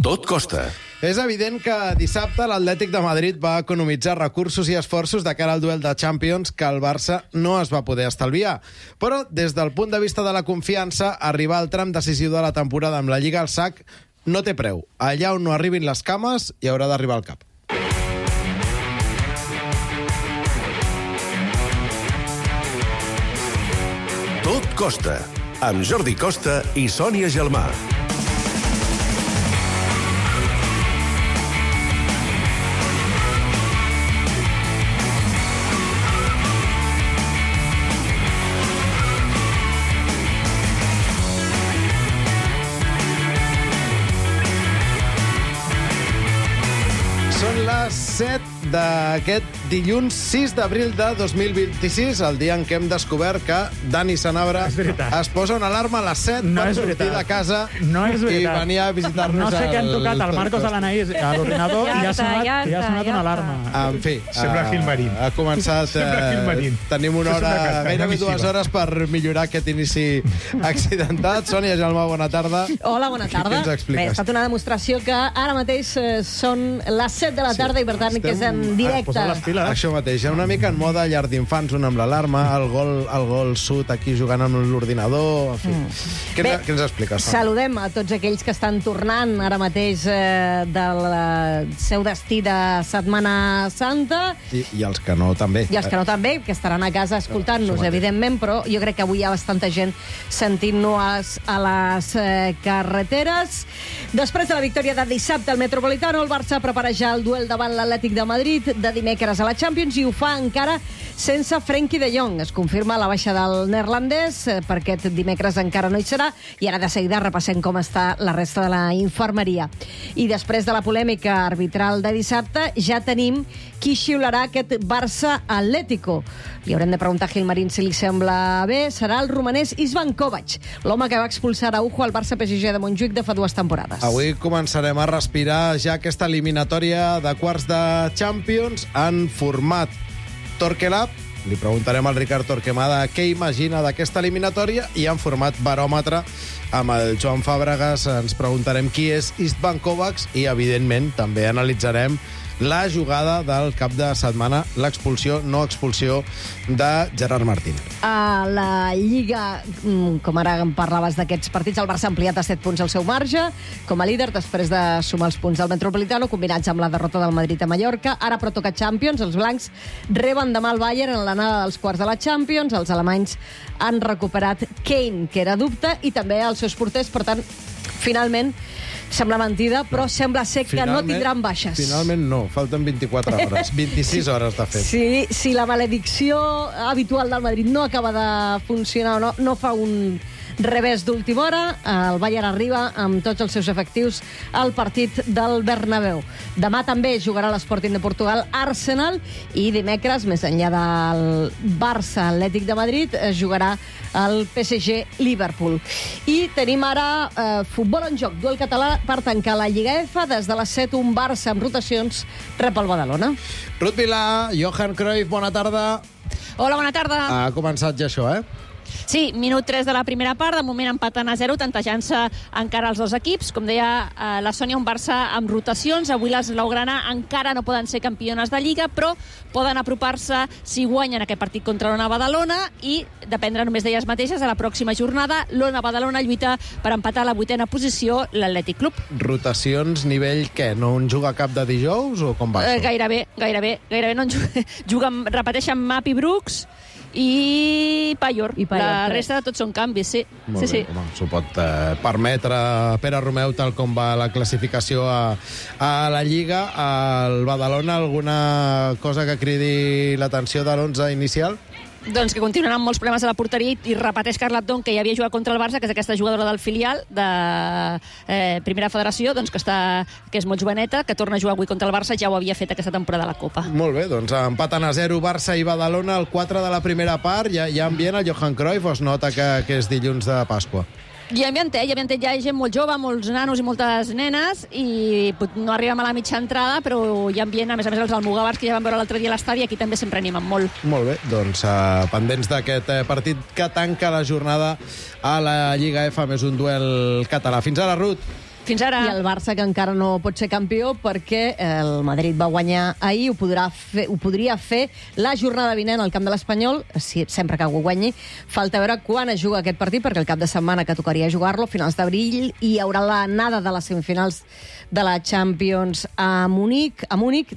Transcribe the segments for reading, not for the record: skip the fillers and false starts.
Tot costa. És evident que dissabte l'Atlètic de Madrid va economitzar recursos i esforços de cara al duel de Champions que el Barça no es va poder estalviar. Però, des del punt de vista de la confiança, arribar al tram decisiu de la temporada amb la Lliga al sac no té preu. Allà on no arribin les cames, hi haurà d'arribar el cap. Tot costa. Amb Jordi Costa i Sònia Gelmà. Són les 7 d'aquest dilluns 6 d'abril de 2026, el dia en què hem descobert que Dani Sanabra es posa una alarma a les 7 per sortir de casa i venir a visitar-nos. No sé què han tocat al Marcos de l'Anaís a l'ordinador i ha sonat una alarma. En fi, sembla Gilmarín. Ha començat... Tenim una hora, gairebé 2 hores per millorar aquest inici accidentat. Sònia Gelmà, bona tarda. Hola, bona tarda. Què ens expliques? Bé, ha estat una demostració que ara mateix són les 7 de la tarda i per tant que és en directe. Això mateix, una mica en moda llar d'infants, un amb l'alarma, el gol sud aquí jugant amb l'ordinador, en fi. Què ens expliques? Saludem a tots aquells que estan tornant ara mateix del seu destí de Setmana Santa. I els que no també. I els que no també, que estaran a casa escoltant-nos, evidentment, però jo crec que avui hi ha bastanta gent sentint-nos a les carreteres. Després de la victòria de dissabte al Metropolitano, el Barça prepara ja el duel davant l'Atlètic de Madrid de dimecres a la Champions i ho fa encara sense Frenkie de Jong. Es confirma la baixa del neerlandès, per aquest dimecres encara no hi serà, i ara de seguida repassem com està la resta de la infermeria. I després de la polèmica arbitral de dissabte, ja tenim qui xiularà aquest Barça-Atlético. Li haurem de preguntar a Gilmarín si li sembla bé. Serà el romanès Ivan Kovac, l'home que va expulsar a Araujo al Barça-PSG de Montjuïc de fa 2 temporades. Avui començarem a respirar ja aquesta eliminatòria de quarts de Champions en format Torquelab. Li preguntarem al Ricard Torquemada què imagina d'aquesta eliminatòria, i en format baròmetre amb el Joan Fàbregas ens preguntarem qui és Istvan Kovac i, evidentment, també analitzarem la jugada del cap de setmana, l'expulsió, no expulsió, de Gerard Martín. A la Lliga, com ara em parlaves d'aquests partits, el Barça ha ampliat a 7 punts el seu marge com a líder després de sumar els punts del Metropolitano, combinats amb la derrota del Madrid a Mallorca. Ara però toca Champions, els blancs reben demà el Bayern en l'anada dels quarts de la Champions, els alemanys han recuperat Kane, que era dubte, i també els seus porters, per tant, finalment, sembla mentida, però sembla ser que no tindran baixes. Finalment no, falten 24 hores, 26 hores de fet. Si la maledicció habitual del Madrid no acaba de funcionar o no fa un revés d'última hora, el Bayern arriba amb tots els seus efectius al partit del Bernabéu. Demà també jugarà l'Sporting de Portugal Arsenal, i dimecres, més enllà del Barça-Atlètic de Madrid, es jugarà el PSG-Liverpool. I tenim ara futbol en joc, duel català per tancar la Lliga F. Des de les 7, un Barça amb rotacions rep el Badalona. Ruth Vilà, Johan Cruyff, bona tarda. Hola, bona tarda. Ha començat ja això, Sí, minut 3 de la primera part, de moment empatant a 0, tantejant-se encara els dos equips. Com deia la Sònia, un Barça amb rotacions. Avui les blaugrana encara no poden ser campiones de Lliga, però poden apropar-se si guanyen aquest partit contra l'Ona Badalona i dependre només d'elles mateixes. A la pròxima jornada, l'Ona Badalona lluita per empatar a la 8a posició l'Atlètic Club. Rotacions nivell què? No en juga cap de dijous o com va això? Gairebé no en juguen, repeteixen Map i Brooks i Payor. La resta de tots són canvis, sí. Molt bé, home, s'ho pot permetre Pere Romeu, tal com va la classificació a la Lliga. Al Badalona, alguna cosa que cridi l'atenció de l'11 inicial? Doncs que continuen amb molts problemes a la porteria i repeteix Carla Don, que ja havia jugat contra el Barça, que és aquesta jugadora del filial de Primera Federació, doncs que és molt joveneta, que torna a jugar avui contra el Barça, ja ho havia fet aquesta temporada a la Copa. Molt bé, doncs empaten a 0 Barça i Badalona, el 4 de la primera part. Hi ha ambient el Johan Cruyff, o es nota que és dilluns de Pasqua? Hi ha ambientet, hi ha gent molt jove, molts nanos i moltes nenes, i no arribem a la mitja entrada, però hi ha ambient, a més els almogàvers que ja van veure l'altre dia a l'estadi, aquí també sempre animen molt. Molt bé, doncs pendents d'aquest partit que tanca la jornada a la Lliga F, més un duel català. Fins ara, Ruth. Fins ara. I el Barça, que encara no pot ser campió perquè el Madrid va guanyar ahir, ho podria fer la jornada vinent al camp de l'Espanyol, sempre que ho guanyi. Falta veure quan es juga aquest partit, perquè el cap de setmana que tocaria jugar-lo, finals d'abril, i hi haurà l'anada de les semifinals de la Champions a Múnich,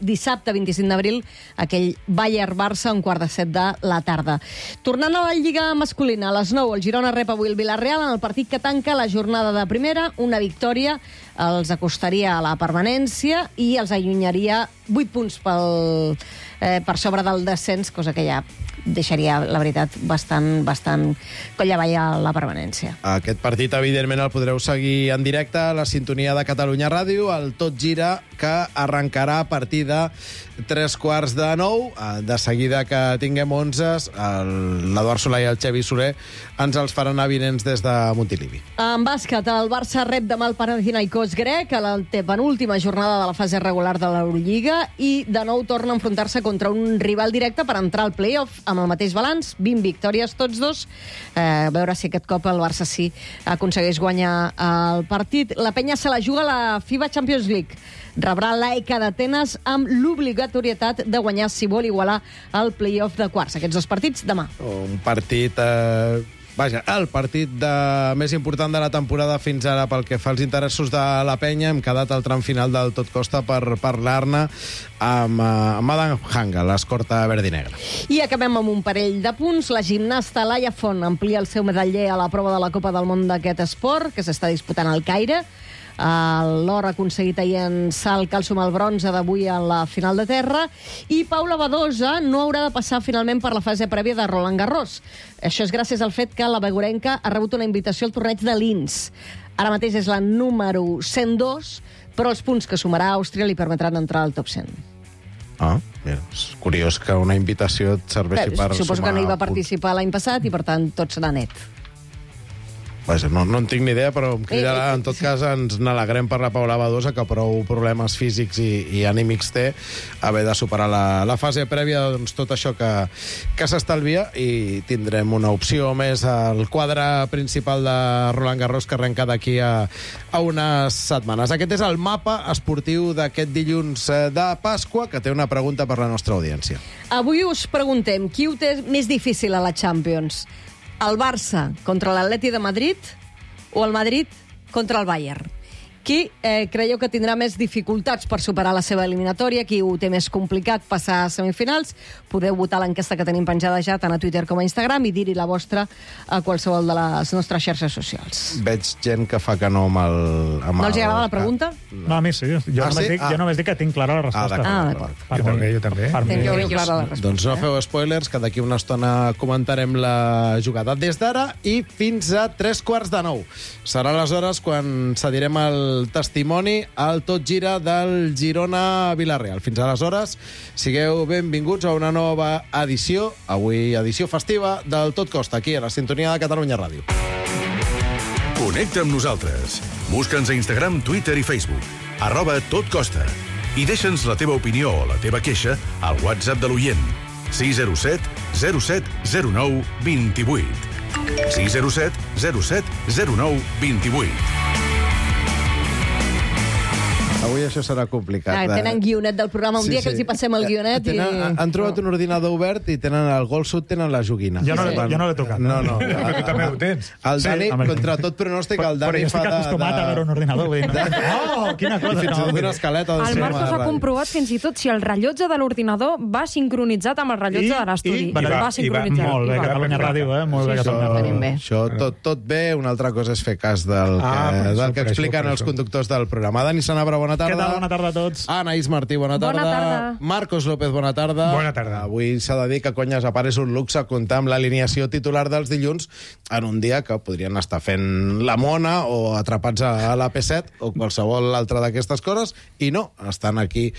dissabte 25 d'abril, aquell Bayern-Barça, un 6:45 de la tarda. Tornant a la Lliga masculina, a les 9, el Girona rep avui el Villarreal en el partit que tanca la jornada de primera. Una victòria els acostaria a la permanència i els allunyaria 8 punts per sobre del descens, cosa que ja deixaria, la veritat, bastant colla avall a la permanència. Aquest partit, evidentment, el podreu seguir en directe a la sintonia de Catalunya Ràdio, el Tot Gira, que arrencarà a partir de 8:45. De seguida que tinguem 11, l'Eduard Solà i el Xavi Soler ens els faran avinents des de Montilivi. En bàsquet, el Barça rep demà el Panathinaikos grec a la penúltima jornada de la fase regular de l'Eurolliga i de nou torna a enfrontar-se contra un rival directe per entrar al play-off amb el mateix balanç, 20 victòries tots dos. A veure si aquest cop el Barça sí aconsegueix guanyar el partit. La penya se la juga a la FIBA Champions League. Rebrà l'AEK d'Atenes amb l'obligatorietat de guanyar si vol igualar el play-off de quarts. Aquests dos partits demà. Un partit... el partit més important de la temporada fins ara pel que fa als interessos de la penya. Hem quedat al tram final del Tot Costa per parlar-ne amb Adam Hanga, l'escorta verd i negra. I acabem amb un parell de punts. La gimnasta Laia Font amplia el seu medaller a la prova de la Copa del Món d'aquest esport, que s'està disputant al Caire. L'or aconseguit ahir en salt cal sumar el bronze d'avui en la final de terra, i Paula Badosa no haurà de passar finalment per la fase prèvia de Roland Garros. Això és gràcies al fet que la begurenca ha rebut una invitació al torneig de Linz. Ara mateix és la número 102, però els punts que sumarà Àustria li permetran entrar al top 100. Mira, és curiós que una invitació et serveixi per suposo sumar que no hi va punts. participar l'any passat i, per tant, tot serà net. Vaja, no en tinc ni idea, però em cridarà. En tot cas, ens n'alegrem per la Paula Badosa, que prou problemes físics i anímics té, haver de superar la fase prèvia, doncs tot això que s'estalvia, i tindrem una opció més al quadre principal de Roland Garros, que arrenca d'aquí a unes setmanes. Aquest és el mapa esportiu d'aquest dilluns de Pasqua, que té una pregunta per la nostra audiència. Avui us preguntem, qui ho té més difícil a la Champions? El Barça contra l'Atleti de Madrid o el Madrid contra el Bayern? Qui creieu que tindrà més dificultats per superar la seva eliminatòria? Qui ho té més complicat passar a semifinals? Podeu votar l'enquesta que tenim penjada ja tant a Twitter com a Instagram i dir-hi la vostra a qualsevol de les nostres xarxes socials. Veig gent que fa que no amb el... No els agrada la pregunta? No, a mi sí. Jo només dic que tinc clara la resposta. D'acord. Jo també. Teniu clara la resposta. Doncs no feu spoilers, que d'aquí una estona comentarem la jugada. Des d'ara i fins a 8:45. Serà aleshores quan cedirem el testimoni al Tot Gira del Girona-Villarreal. Fins aleshores, sigueu benvinguts a una nova edició, avui edició festiva, del Tot Costa, aquí a la sintonia de Catalunya Ràdio. Connecta amb nosaltres. Busca'ns a Instagram, Twitter i Facebook. @totcosta. I deixa'ns la teva opinió o la teva queixa al WhatsApp de l'oient. 607 07 09 28. 607 07 09 28. Avui això serà complicat. Tenen guionet del programa. Un dia que els hi passem el guionet i... Han trobat un ordinador obert i tenen el Gol Sud, tenen la joguina. Jo no l'he tocat. No. Però tu també ho tens. El Dani, contra tot pronòstic, el Dani fa de... Però jo estic acostumat a veure un ordinador. Quina cosa. I fins i tot una escaleta. El Marc s'ha comprovat fins i tot si el rellotge de l'ordinador va sincronitzat amb el rellotge de l'estudi. Va sincronitzat. Molt bé, Catalunya Ràdio, molt bé, Catalunya Ràdio. Això tot bé, una altra cosa és fer cas del que expliquen els conductors del programa. Dani Sanabra, bona tarda. Què tal? Bona tarda a tots. Anaïs Martí, bona tarda. Bona tarda. Marcos López, bona tarda. Bona tarda. Avui s'ha de dir que, conyes, a part és un luxe comptar amb l'alineació titular dels dilluns en un dia que podrien estar fent la mona o atrapats a la P7 o qualsevol altra d'aquestes coses, i no, estan aquí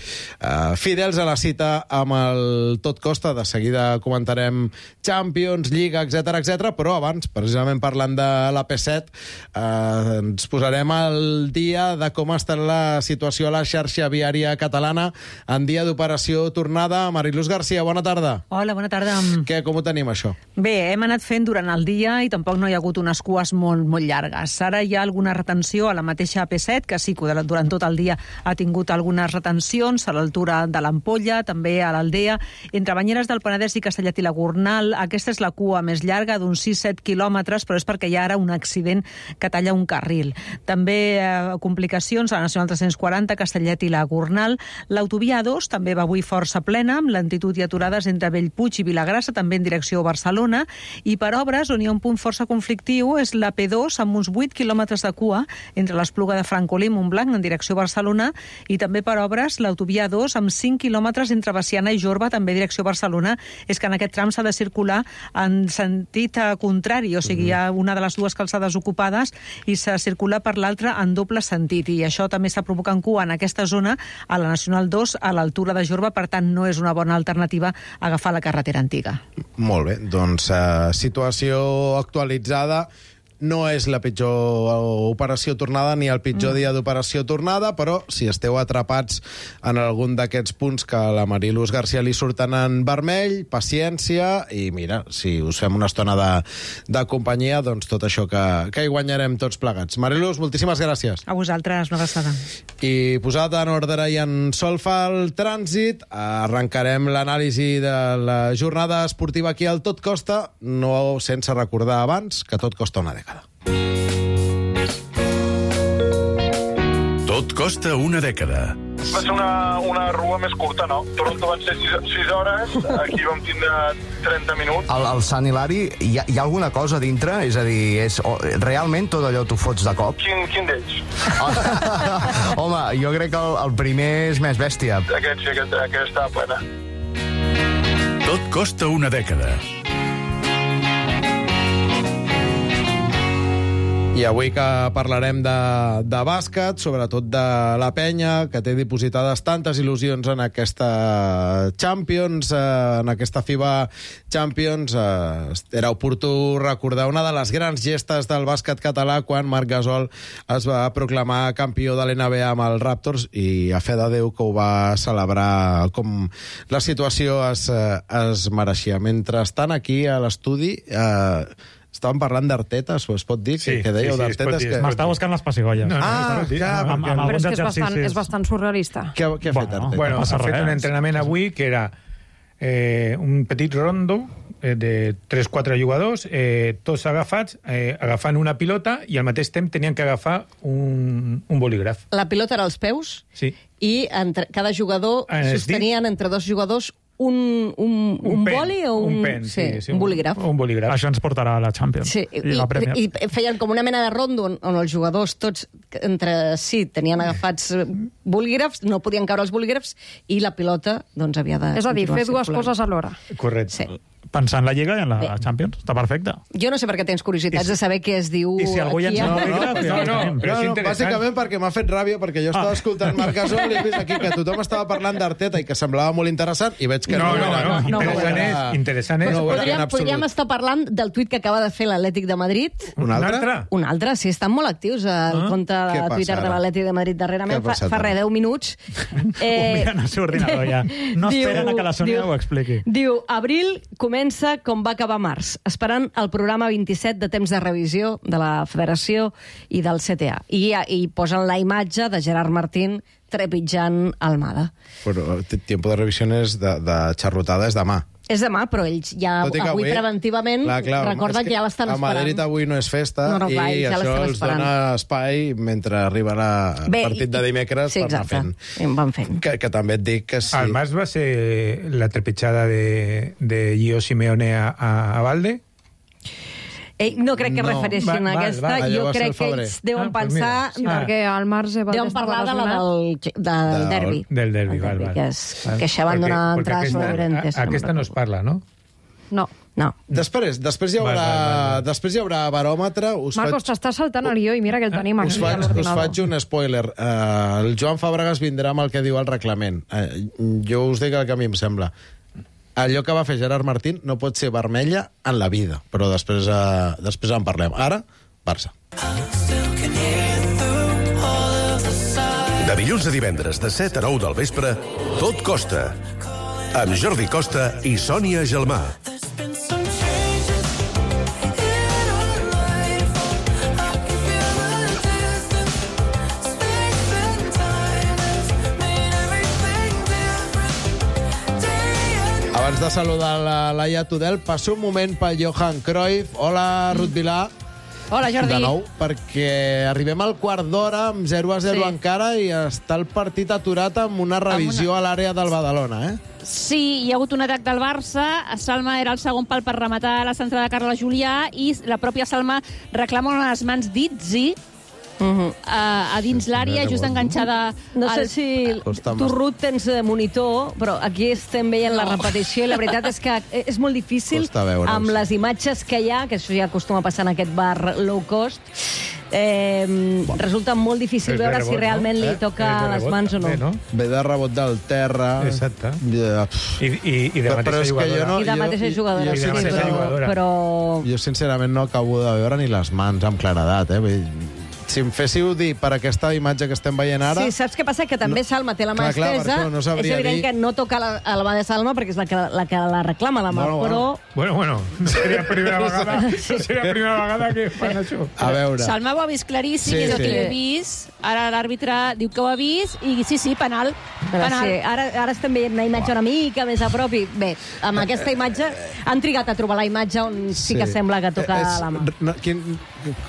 fidels a la cita amb el Tot Costa. De seguida comentarem Champions, Lliga, etc, però abans, precisament parlant de la P7, ens posarem al dia de com està la situació situació a la xarxa viària catalana en dia d'operació tornada. Mariluz García, bona tarda. Hola, bona tarda. Què, com ho tenim, això? Bé, hem anat fent durant el dia i tampoc no hi ha hagut unes cues molt llargues. Ara hi ha alguna retenció a la mateixa AP7, que sí que durant tot el dia ha tingut algunes retencions a l'altura de l'Ampolla, també a l'Aldea. Entre Banyeres del Penedès i Castellet i la Gornal, aquesta és la cua més llarga, d'uns 6-7 quilòmetres, però és perquè hi ha ara un accident que talla un carril. També complicacions a la Nacional 340, Castellet i la Gornal. L'autovia A2 també va avui força plena, amb lentitud i aturades entre Bellpuig i Vilagrassa, també en direcció a Barcelona, i per obres, on hi ha un punt força conflictiu, és la P2, amb uns 8 quilòmetres de cua entre l'Espluga de Francolí i Montblanc, en direcció a Barcelona, i també per obres, l'autovia A2, amb 5 quilòmetres entre Baciana i Jorba, també direcció a Barcelona. És que en aquest tram s'ha de circular en sentit contrari, o sigui, hi ha una de les dues calçades ocupades i s'ha de circular per l'altra en doble sentit, i això també està provocant cua en aquesta zona, a la Nacional 2, a l'altura de Jorba, per tant no és una bona alternativa agafar la carretera antiga. Molt bé, doncs situació actualitzada. No és la pitjor operació tornada ni el pitjor dia d'operació tornada, però si esteu atrapats en algun d'aquests punts que a la Mariluz García li surten en vermell, paciència, i mira, si us fem una estona de companyia, doncs tot això que hi guanyarem tots plegats. Mariluz, moltíssimes gràcies. A vosaltres, una abraçada. I posat en ordre i en solfa el trànsit, arrencarem l'anàlisi de la jornada esportiva aquí al Tot Costa, no sense recordar abans que tot costa una dècada. Tot costa una dècada. Va ser una rua més curta, no? Toronto van ser 6 hores, aquí vam tindre 30 minuts. Al Sant Hilari hi ha alguna cosa dintre? És a dir, realment tot allò t'ho fots de cop? Quin d'ells? Home, jo crec que el primer és més bèstia. Aquest sí, aquest estava plena. Tot costa una dècada. I avui que parlarem de bàsquet, sobretot de la penya, que té dipositades tantes il·lusions en aquesta Champions, en aquesta FIBA Champions, era oportú recordar una de les grans gestes del bàsquet català quan Marc Gasol es va proclamar campió de l'NBA amb els Raptors, i a fe de Déu que ho va celebrar com la situació es mereixia. Mentrestant, aquí a l'estudi estàvem parlant d'Arteta, es pot dir? Sí, que dèieu d'Arteta? M'estava buscant les pessigolles. Però és que és bastant surrealista. Què ha fet Arteta? Bueno, ha fet un entrenament avui que era un petit rondo de 3-4 jugadors, tots agafats, agafant una pilota, i al mateix temps tenien que agafar un bolígraf. La pilota era als peus, sí, i cada jugador sostenien entre dos jugadors un boli o un pen, un bolígraf. Un bolígraf. Això ens portarà a la Champions. Sí, i la Premier. I feien com una mena de rondo on els jugadors tots entre si tenien agafats bolígrafs, no podien caure els bolígrafs, i la pilota doncs havia de... És a dir, fer dues coses alhora. Correcte. Sí. Pensar en la Lliga i en la Champions. Està perfecte. Jo no sé per què tens curiositats de saber què es diu I si algú ja ens No, bàsicament perquè m'ha fet ràbia, perquè jo estava escoltant Marc Gasol i he vist aquí que tothom estava parlant d'Arteta i que semblava molt interessant, i veig que interessant és... Podríem estar parlant del tuit que acaba de fer l'Atlètic de Madrid. Un altre? Un altre, sí, estan molt actius al compte de Twitter de l'Atlètic de Madrid darrerament. Fa 10 minuts. Miren el seu ordinador ja. No esperen a que la Sònia ho expliqui. Diu, abril comença com va acabar març, esperant el programa 27 de temps de revisió de la Federació i del CTA. I posen la imatge de Gerard Martín trepitjant Almada. Però tiempo de revisió és de xarrotada, és demà. És demà, però ells ja avui preventivament recorden que ja l'estan esperant. A Madrid avui no és festa, i això els dona espai mentre arriba el partit de dimecres per anar fent. Van fent. Que també et dic que sí. Al març va ser la trepitjada de Gio Simeone a Valde? No crec que refereixin a aquesta. Jo crec que ells deuen pensar... Perquè al març deuen parlar del derbi. Del derbi, val. Que això van donar entrades a Llorentes. Aquesta no es parla, no? No. Després hi haurà baròmetre. Marcos, t'estàs saltant el guió i mira que el tenim aquí a l'ordinador. Us faig un spoiler. El Joan Fàbregas vindrà amb el que diu el reglament. Jo us dic el que a mi em sembla. Allò que va fer Gerard Martín no pot ser vermella en la vida, però després en parlem. Ara, Barça. De dilluns a divendres, de 7 a 9 del vespre, Tot Costa. Amb Jordi Costa i Sònia Gelmà. Abans de saludar la Laia Tudel, passo un moment pel Johan Cruyff. Hola, Ruth Vilà. Hola, Jordi. De nou, perquè arribem al quart d'hora amb 0-0 encara i està el partit aturat amb una revisió a l'àrea del Badalona, Sí, hi ha hagut un atac del Barça. Salma era el segon pal per rematar la centrada de Carles Julià i la pròpia Salma reclama les mans d'Itzi a dins l'àrea, just enganxada. No sé si tu, Ruth, tens monitor, però aquí estem veient la repetició i la veritat és que és molt difícil amb les imatges que hi ha, que això ja acostuma a passar en aquest bar low cost. Resulta molt difícil veure si realment li toca les mans o no. Ve de rebot del terra. Exacte. I de mateixa jugadora. I de mateixa jugadora, però... Jo, sincerament, no acabo de veure ni les mans amb claredat, Si em féssiu dir per aquesta imatge que estem veient ara... Sí, saps què passa? Que també Salma té la mà estesa. És evident que no toca la mà de Salma perquè és la que la reclama la mà, però... Bueno, no seria primera vegada, que fan això. A veure... Salma ho ha vist claríssim, és el que he vist. Ara l'àrbitre diu que ho ha vist i sí, penal. Ara estem veient una imatge una mica més a prop i bé, amb aquesta imatge han trigat a trobar la imatge on sí que sembla que toca la mà.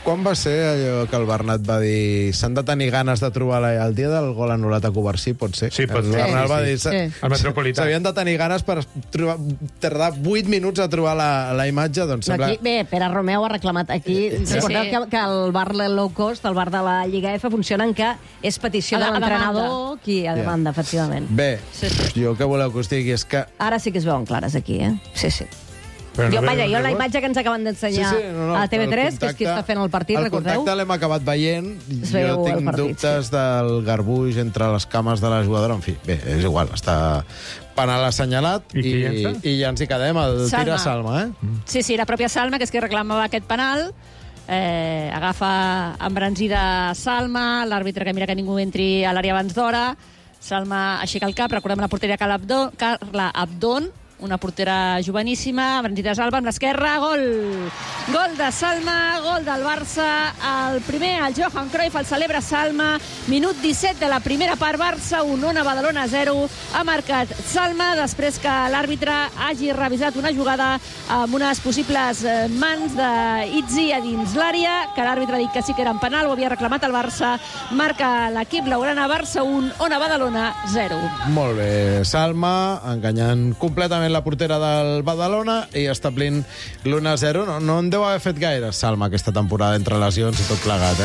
Quan va ser allò que el Bernat va dir s'han de tenir ganes de trobar el dia del gol anul·lat a Covarsí, pot ser? Sí, pot ser. El Bernat va dir el Metropolità. S'havien de tenir ganes per tardar 8 minuts a trobar la imatge, doncs sembla... Bé, Pere Romeu ha reclamat aquí. Recordeu que el bar low cost, el bar de la Lliga F, funcionen que és petició de l'entrenador qui ha demanda, efectivament. Bé, jo què voleu que us digui és que... Ara sí que es veuen clares aquí, Sí. Jo la imatge que ens acaben d'ensenyar a TV3, que és qui està fent el partit, recordeu? El contacte l'hem acabat veient. Jo tinc dubtes del garbuix entre les cames de la jugadora. En fi, bé, és igual, està penal assenyalat i ja ens hi quedem. El tira Salma, Sí, la pròpia Salma, que és qui reclamava aquest penal, agafa embranzida Salma, l'àrbitre que mira que ningú entri a l'àrea abans d'hora, Salma aixeca el cap, recordem la porteria Carla Abdon, una portera joveníssima, embranzida Salva amb l'esquerra, gol! Gol de Salma, gol del Barça, el primer, el Johan Cruyff, el celebra Salma, minut 17 de la primera part, Barça 1, Badalona 0, ha marcat Salma després que l'àrbitre hagi revisat una jugada amb unes possibles mans d'Itzi a dins l'àrea, que l'àrbitre ha dit que sí que era en penal, ho havia reclamat el Barça, marca l'equip blaugrana, Barça 1, Badalona 0. Molt bé, Salma enganyant completament la portera del Badalona i establint l'1-0. No en deu haver fet gaire, Salma, aquesta temporada entre lesions i tot plegat,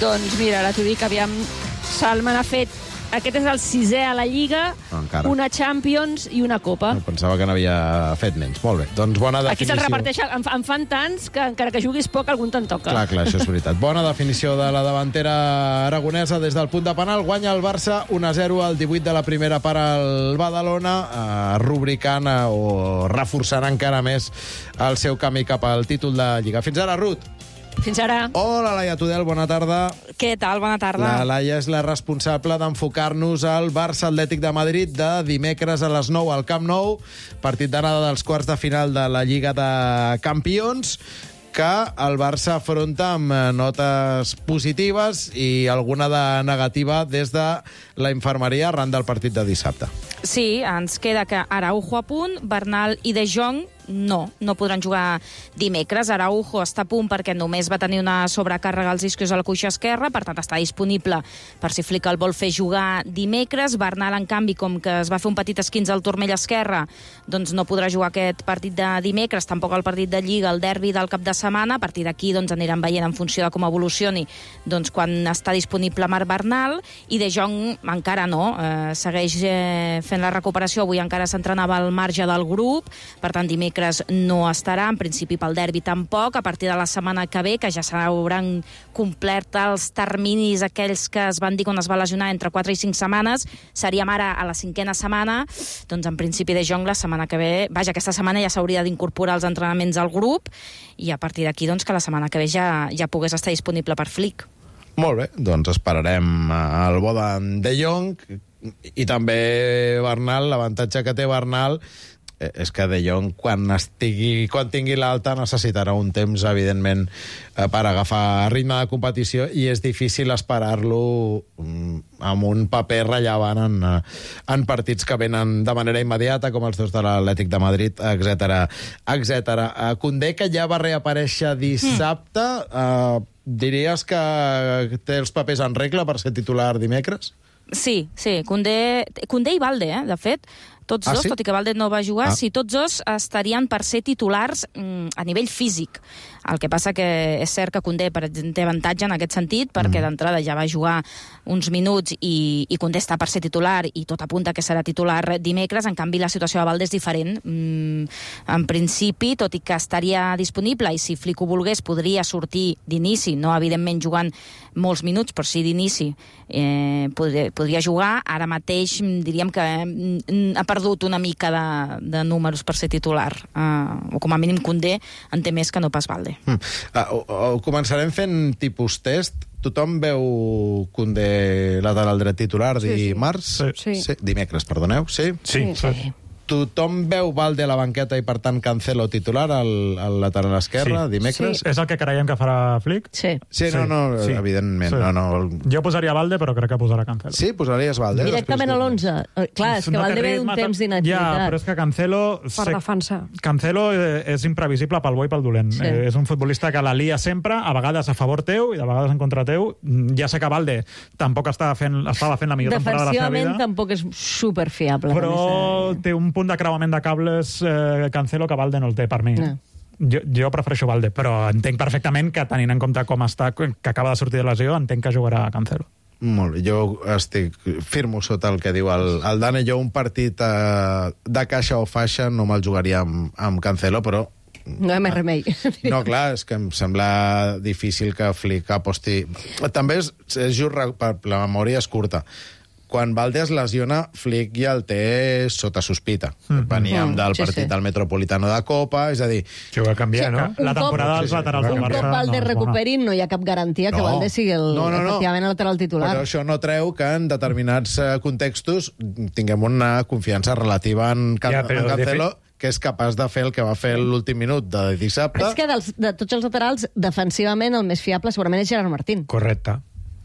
Doncs mira, ara t'ho dic, aviam, Salma n'ha fet... Aquest és el 6è a la Lliga, una Champions i una Copa. Pensava que n'havia fet menys. Molt bé, doncs bona definició. Aquí se'l reparteix, en fan tants que encara que juguis poc, algun te'n toca. Clar, això és veritat. Bona definició de la davantera aragonesa des del punt de penal. Guanya el Barça 1-0 al 18 de la primera part al Badalona, rubricant o reforçant encara més el seu camí cap al títol de Lliga. Fins ara, Ruth. Fins ara. Hola, Laia Tudel, bona tarda. Què tal? Bona tarda. La Laia és la responsable d'enfocar-nos al Barça Atlètic de Madrid de dimecres a les 9 al Camp Nou, partit d'anada dels quarts de final de la Lliga de Campions, que el Barça afronta amb notes positives i alguna de negativa des de la infermeria arran del partit de dissabte. Sí, ens queda que Araujo a punt, Bernal i De Jong no podran jugar dimecres. Araujo està a punt perquè només va tenir una sobrecàrrega als isquios a la cuixa esquerra, per tant està disponible per si Flick el vol fer jugar dimecres. Bernal, en canvi, com que es va fer un petit esquinç al turmell esquerre, doncs no podrà jugar aquest partit de dimecres, tampoc el partit de Lliga, el derbi del cap de setmana. A partir d'aquí doncs, aniran veient en funció de com evolucioni doncs, quan està disponible Marc Bernal, i De Jong encara no, segueix fent la recuperació. Avui encara s'entrenava al marge del grup, per tant dimecres no estarà, en principi pel derbi tampoc. A partir de la setmana que ve, que ja s'hauran complert els terminis aquells que es van dir quan es va lesionar entre 4 i 5 setmanes, seríem ara a la 5a setmana, doncs en principi De Jong la setmana que ve, aquesta setmana ja s'hauria d'incorporar als entrenaments al grup, i a partir d'aquí doncs que la setmana que ve ja pogués estar disponible per Flick. Molt bé, doncs esperarem el bo de Jong i també Bernal. L'avantatge que té Bernal és que De Jong, quan tingui l'alta, necessitarà un temps, evidentment, per agafar ritme de competició, i és difícil esperar-lo amb un paper rellevant en partits que venen de manera immediata, com els dos de l'Atlètic de Madrid, etc. Koundé, que ja va reaparèixer dissabte, diries que té els papers en regla per ser titular dimecres? Sí, Koundé i Balde, de fet, tots dos, tot i que Balde no va jugar, tots dos estarien per ser titulars a nivell físic. El que passa que és cert que Koundé té avantatge en aquest sentit, perquè d'entrada ja va jugar uns minuts i Koundé està per ser titular i tot apunta que serà titular dimecres. En canvi, la situació de Balde és diferent. En principi, tot i que estaria disponible, i si Flick ho volgués, podria sortir d'inici, no evidentment jugant molts minuts, però sí d'inici, podria jugar. Ara mateix diríem que ha perdut una mica de números per ser titular, o com a mínim Koundé en té més que no pas Balde. Ho començarem fent tipus test. Tothom veu Koundé lateral dret titular dimarts? Sí. Dimecres, perdoneu. Sí? Sí. Tothom veu Balde a la banqueta i, per tant, Cancelo titular al lateral esquerre dimecres? Sí. És el que creiem que farà Flick? Sí, evidentment. Sí. No. Jo posaria Balde, però crec que posarà Cancelo. Sí, posaries Balde? Directament a l'11. Clar, és que Balde ve d'un temps d'inactivitat. Ja, però és que Cancelo... Per defensar. Cancelo és imprevisible pel bo i pel dolent. Sí. És un futbolista que la lia sempre, a vegades a favor teu i de vegades en contra teu. Ja sé que Balde tampoc estava fent la millor temporada de la seva vida. Defensivament tampoc és superfiable. Però té un punt de creuament de cables Cancelo que Balde no el té, per mi. No. Jo prefereixo Balde, però entenc perfectament que, tenint en compte com està, que acaba de sortir de lesió, entenc que jugarà Cancelo. Molt bé, jo firmo sota el que diu el Dani. Jo un partit de caixa o faixa no me'l jugaria amb Cancelo, però... No hi ha més remei. No, clar, és que em sembla difícil que Flick aposti... També és just, la memòria és curta. Quan Balde es lesiona, Flick ja el té sota sospita. Veníem del partit del Metropolitano de Copa, és a dir... Que ho va canviar, no? La temporada dels laterals del Barça... Un cop Balde recuperi, no hi ha cap garantia que Balde sigui efectivament el lateral titular. Però això no treu que en determinats contextos tinguem una confiança relativa en Cancelo, que és capaç de fer el que va fer l'últim minut de dissabte. És que de tots els laterals, defensivament, el més fiable segurament és Gerard Martín. Correcte.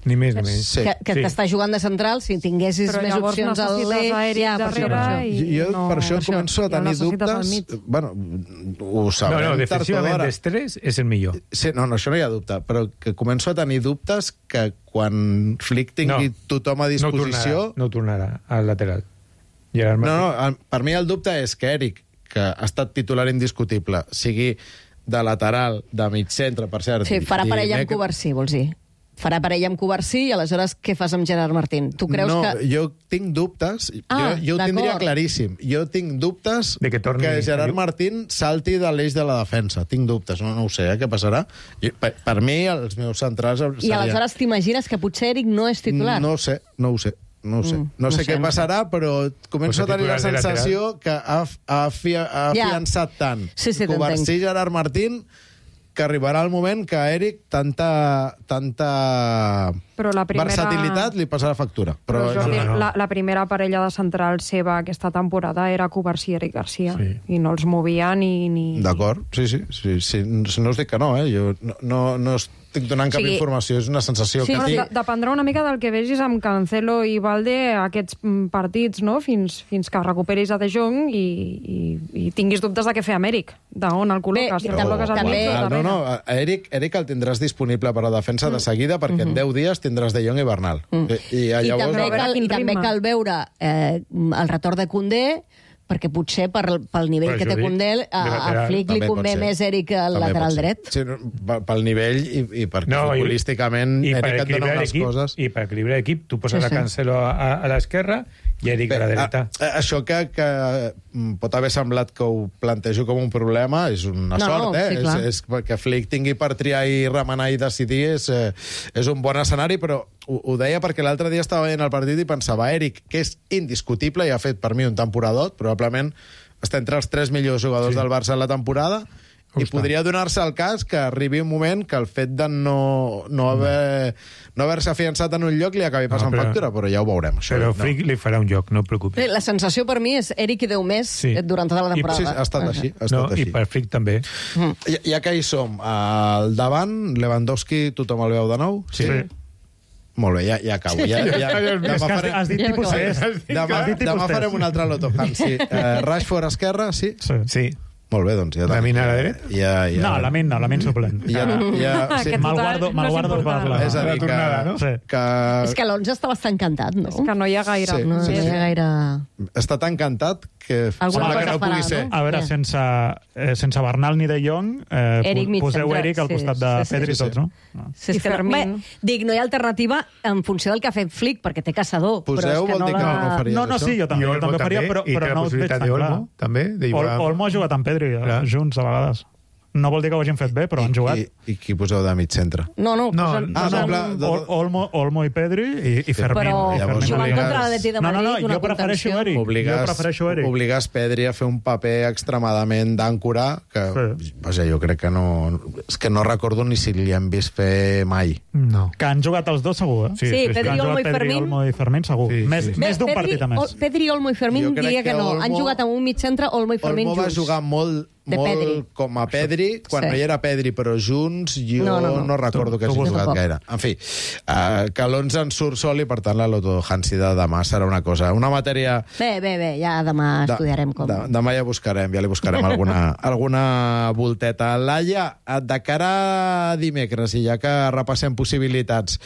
Ni més ni menys. Que t'està jugant de central, si tinguessis més opcions al l'eix... Jo per això començo a tenir dubtes... Bueno, ho sabrem. No, defensivament dels tres és el millor. Sí, no, això no hi ha dubte, però que començo a tenir dubtes que quan Flick tingui tothom a disposició... No tornarà al lateral. No, per mi el dubte és que Eric, que ha estat titular indiscutible, sigui de lateral, de mig centre, per cert... Sí, farà parella amb Covarsí, vols dir? Farà parella amb Covarsí i aleshores què fas amb Gerard Martín? Tu creus que... Jo tinc dubtes, jo ho tindria claríssim. Jo tinc dubtes que Gerard Martín salti de l'eix de la defensa. Tinc dubtes, no ho sé, què passarà. Per mi, els meus centrals... I aleshores t'imagines que potser Eric no és titular? No ho sé. No sé què passarà, però començo a tenir la sensació que ha afiançat tant Covarsí i Gerard Martín que arribarà el moment que a Eric tanta versatilitat li passarà factura. Però Jordi, la primera parella de central seva aquesta temporada era Covarsí i Eric Garcia, i no els movia ni... D'acord, sí. No us dic que no, jo no estic donant cap informació, és una sensació que tinc... Dependrà una mica del que vegis amb Cancelo i Balde aquests partits, no? Fins que recuperis a De Jong i tinguis dubtes de què fer amb Eric, d'on el col·loques. No, Eric el tindràs disponible per a la defensa de seguida, perquè en 10 dies tindràs De Jong i Bernal. I també cal veure el retorn de Koundé, perquè potser pel nivell que té Koundé a Flick li convé més Eric al lateral dret. Sí, pel nivell i perquè futbolísticament Eric et dona unes coses... I per equilibrar l'equip, tu poses a Cancelo a l'esquerra i Eric a la dreta. Això que pot haver semblat que ho plantejo com un problema és una sort, és que Flick tingui per triar i remenar i decidir és un bon escenari, però ho deia perquè l'altre dia estava veient el partit i pensava Eric, que és indiscutible i ha fet per mi un temporadot, probablement està entre els 3 millors jugadors del Barça en la temporada, I podria donar-se el cas que arribi un moment que el fet de no haver-se afiançat en un lloc li acabi passant factura, però ja ho veurem. Però Flick li farà un lloc, no et preocupis. La sensació per mi és Eric i 10 més durant tota la temporada. Sí, ha estat així. I per Flick també. Ja que hi som, al davant, Lewandowski, tothom el veu de nou? Sí. Molt bé, ja acabo. Has dit tipus 6. Demà farem un altre Loto Hansi. Rashford esquerra, sí? Sí. Molt bé, doncs ja... Lamin a la dreta? No, Lamin suplent. Me'l guardo per la... És a dir, és que l'11 està bastant encantat, no? És que no hi ha gaire. No hi ha gaire... Està tan encantat que sembla que no pugui ser. A veure, sense Bernal ni De Jong, poseu Eric al costat de Pedri i tots, no? I Fermín. Dic, no hi ha alternativa en funció del que ha fet Flick, perquè té caçador. Poseu vol dir que no faries això? No, sí, jo també ho faria, però no ho veig tan clar. Olmo ha jugat amb Pedri junts, a vegades. No vol dir que ho hagin fet bé, però han jugat. I qui poseu de mig centre? Olmo i Pedri i Fermín. Però jugant contra l'Atleti de Madrid, una contenció. Obligues Pedri a fer un paper extremadament d'àncora, que jo crec que no... És que no recordo ni si li hem vist fer mai. No. Que han jugat els dos, segur, eh? Sí, Pedri, Olmo i Fermín, segur. Més d'un partit, a més. Pedri, Olmo i Fermín diria que no. Han jugat amb un mig centre, Olmo i Fermín junts. Olmo va jugar molt com a Pedri, quan no hi era Pedri, però junts jo no recordo que hagi jugat gaire. En fi, que l'11 en surt sol i per tant la Loto Hansi de demà serà una matèria... Bé, ja demà estudiarem com. Demà ja li buscarem alguna volteta. Laia, de cara a dimecres, i ja que repassem possibilitats,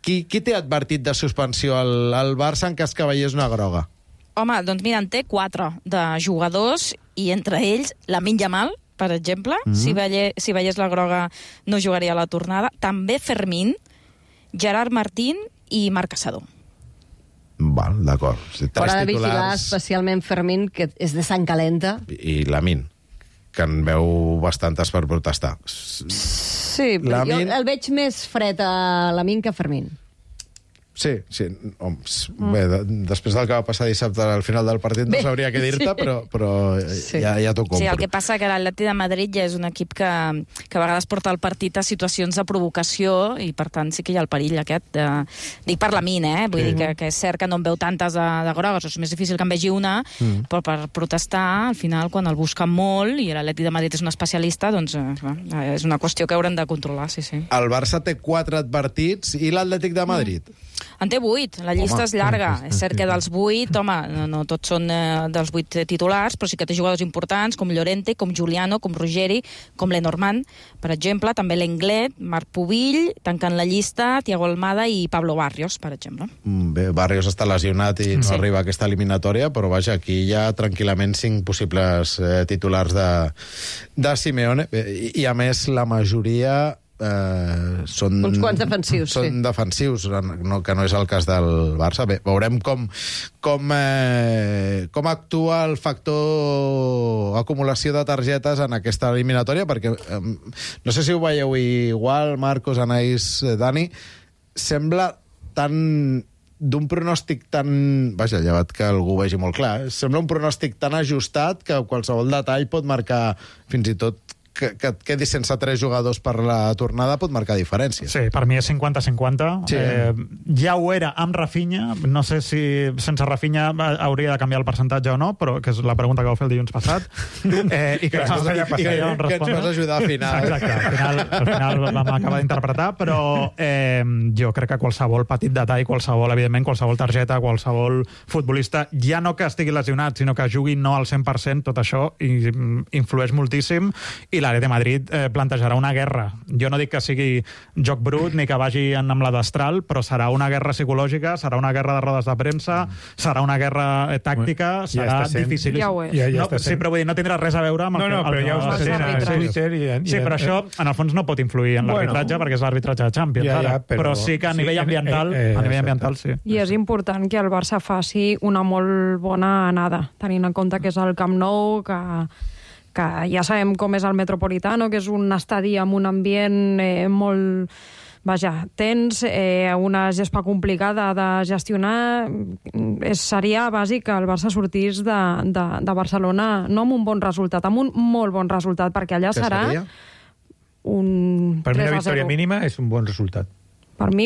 qui té advertit de suspensió al Barça en cas que veiés una groga? Home, doncs mira, en té 4 de jugadors i entre ells Lamine Yamal, per exemple, si veiés la groga no jugaria a la tornada. També Fermín, Gerard Martín i Marc Caçador. Val, d'acord. Haurà de vigilar especialment Fermín, que és de sang calenta. I Lamine, que en veu bastantes per protestar. Sí, però jo el veig més fred a Lamine que a Fermín. Sí. Bé, després del que va passar dissabte al final del partit no sabria què dir-te, però ja t'ho compro. Sí, el que passa que l'Atleti de Madrid ja és un equip que a vegades porta el partit a situacions de provocació i per tant sí que hi ha el perill aquest. Dic per Lamine, vull dir que és cert que no en veu tantes de grogues, és més difícil que en vegi una, però per protestar, al final, quan el busquen molt i l'Atleti de Madrid és un especialista, doncs és una qüestió que haurem de controlar, sí. El Barça té 4 advertits i l'Atlètic de Madrid? En té 8, la llista és llarga. És cert que dels 8, no tots són dels 8 titulars, però sí que té jugadors importants, com Llorente, com Giuliano, com Ruggeri, com Lenormand, per exemple, també l'Englet, Marc Pubill, tancant la llista, Thiago Almada i Pablo Barrios, per exemple. Bé, Barrios està lesionat i no arriba a aquesta eliminatòria, però vaja, aquí hi ha tranquil·lament 5 possibles titulars de Simeone, i a més la majoria... són uns quants defensius, són defensius, que no és el cas del Barça. Bé, veurem com actua el factor acumulació de targetes en aquesta eliminatòria, perquè no sé si ho veieu igual, Marcos, Anaïs, Dani, sembla tan d'un pronòstic tan... Vaja, llevat que algú ho vegi molt clar, sembla un pronòstic tan ajustat que qualsevol detall pot marcar fins i tot que et quedis sense 3 jugadors per la tornada pot marcar diferències. Sí, per mi és 50-50. Sí. Ja ho era amb Rafinha. No sé si sense Rafinha hauria de canviar el percentatge o no, però que és la pregunta que vau fer el dilluns passat. I que ja ens vas ajudar al final. Exacte, al final vam acabar d'interpretar, però jo crec que qualsevol petit detall, evidentment, qualsevol targeta, qualsevol futbolista, ja no que estigui lesionat, sinó que jugui no al 100%, tot això influeix moltíssim, i l'Atlètic de Madrid plantejarà una guerra. Jo no dic que sigui joc brut ni que vagi amb la destral, però serà una guerra psicològica, serà una guerra de rodes de premsa, serà una guerra tàctica, serà difícil. Sí, però vull dir, no tindrà res a veure amb però ja ho està sent a Twitter. Sí, però això, en el fons, no pot influir en l'arbitratge, perquè és l'arbitratge de Champions, però sí que a nivell ambiental, sí. I és important que el Barça faci una molt bona anada, tenint en compte que és el Camp Nou, que ja sabem com és el Metropolitano, que és un estadi amb un ambient molt vaja, tens una gespa complicada de gestionar. Seria bàsic que el Barça sortís de Barcelona no amb un bon resultat, amb un molt bon resultat, perquè allà serà un 3-0. Per mi una victòria mínima és un bon resultat. Per mi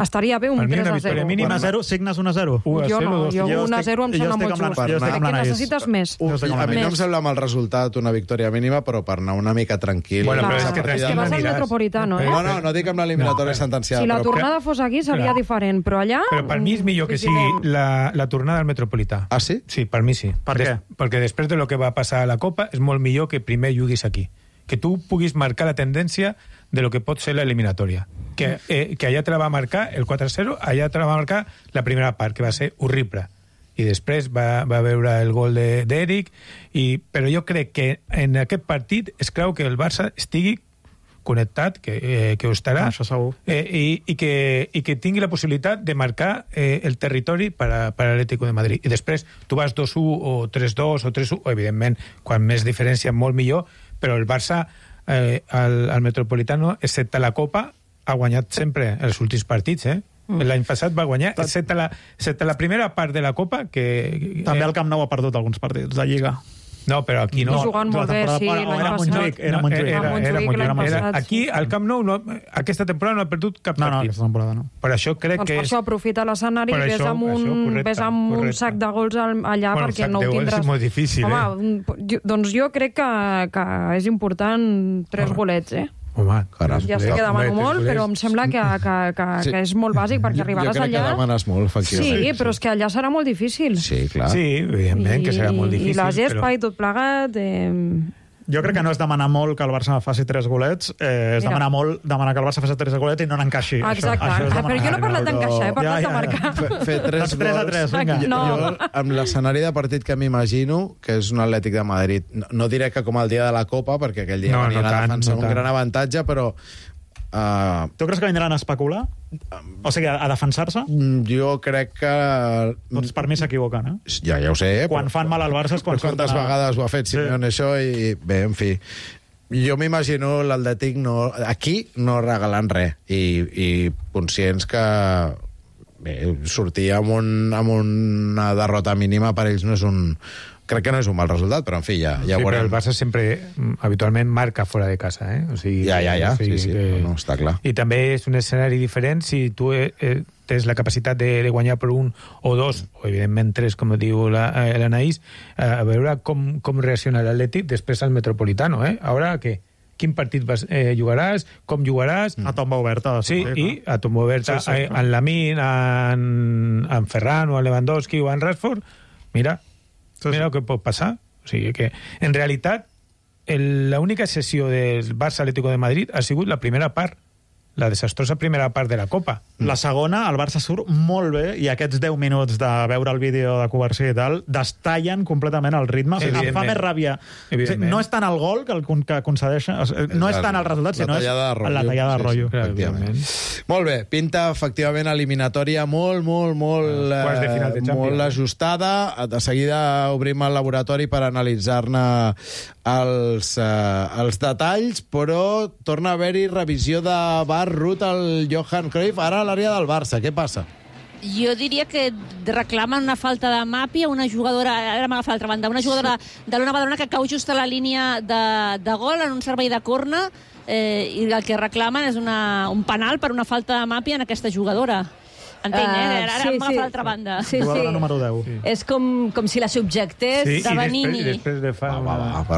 estaria bé un 3-0. Per mi una victòria mínima... 1-0, signes 1-0? Jo no, jo 1-0 em sembla molt just. Perquè necessites més. A mi no em sembla mal resultat una victòria mínima, però per anar una mica tranquil. Bueno, però és que vas al Metropolitano, eh? No dic amb l'eliminatòria sentenciada. Si la tornada fos aquí seria diferent, però allà... Però per mi és millor que sigui la tornada al Metropolità. Ah, sí? Sí, per mi sí. Per què? Perquè després de lo que va passar a la Copa és molt millor que primer juguis aquí. Que tu puguis marcar la tendència de lo que pot ser l'eliminatòria. Que allà te la va marcar el 4-0, allà te la va marcar la primera part, que va ser horrible. I després va veure el gol d'Eric, però jo crec que en aquest partit es creu que el Barça estigui connectat, que ho estarà, això segur. I que tingui la possibilitat de marcar el territori per a l'Atlético de Madrid. I després tu vas 2-1 o 3-2 o 3-1, o evidentment, quan més diferència molt millor, però el Barça al Metropolitano, excepte la Copa, ha guanyat sempre els últims partits, L'any passat va guanyar, excepte la primera part de la Copa, que... També el Camp Nou ha perdut alguns partits de Lliga. No, però aquí no. Jugant molt bé, sí, l'any passat. Era Montjuïc. Aquí, al Camp Nou, aquesta temporada no ha perdut cap partit. No, aquesta temporada no. Per això crec que... Per això aprofita l'escenari i ves amb un sac de gols allà, perquè no ho tindràs... És molt difícil, Doncs jo crec que és important 3 golets, Home, caram. Ja sé que demano molt, però em sembla que és molt bàsic, perquè arribaràs allà... Jo crec que demanes molt, efectivament. Sí, però és que allà serà molt difícil. Sí, clar. Sí, evidentment que serà molt difícil. I la gespa i tot plegat... Jo crec que no és demanar molt que el Barça faci 3 golets, és demanar molt demanar que el Barça faci 3 golets i no n'encaixi. Exacte, però jo no he parlat d'encaixar, he parlat de marcar. Fer 3 gols... vinga. Jo, amb l'escenari de partit que m'imagino, que és un Atlètic de Madrid, no diré que com el dia de la Copa, perquè aquell dia venien a defensar un gran avantatge, però... Tu creus que vindran a especular? O sigui, a defensar-se? Jo crec que... Doncs per mi s'equivoquen, Ja ho sé. Quan fan mal al Barça és quan... Quantes vegades ho ha fet Simeone això i... Bé, en fi... Jo m'imagino l'Atlètic aquí no regalant res i conscients que sortir amb una derrota mínima per ells no és un... Crec que no és un mal resultat, però en fi, ja veurem. Però el Barça sempre, habitualment, marca fora de casa, O sigui, ja. Sí, no, està clar. I també és un escenari diferent si tu tens la capacitat de guanyar per 1 o 2, o evidentment 3, com diu l'Anaïs, a veure com reacciona l'Atlètic després al Metropolitano, Ara què? Quin partit jugaràs, com jugaràs... A tomba oberta. Sí, i a tomba oberta, en Lamine, en Ferran, o en Lewandowski, o en Rashford, mira el que pot passar. O sigui que, en realitat, l'única sessió del Barça Atlético de Madrid ha sigut la primera part, la desastrosa primera part de la Copa. La segona, el Barça surt molt bé i aquests 10 minuts de veure el vídeo de Covarsí i tal destallen completament el ritme. O sigui, em fa més ràbia. O sigui, no és tant el gol que concedeix, no és tant el resultat, sinó és la tallada de rotllo. Molt bé, pinta efectivament eliminatòria molt ajustada. De seguida obrim el laboratori per analitzar-ne els detalls, però torna a haver-hi revisió de VAR, Ruth, el Johan Cruyff, ara a l'àrea del Barça. Què passa? Jo diria que reclamen una falta de Mapi a una jugadora, ara m'agafa l'altra banda, una jugadora de l'Ona Badalona que cau just a la línia de gol en un servei de corna, i el que reclamen és un penal per una falta de Mapi en aquesta jugadora. Entenc, ara m'agafa l'altra banda. Sí. Número 10. És com si la subjectés de Benini. Després de fa...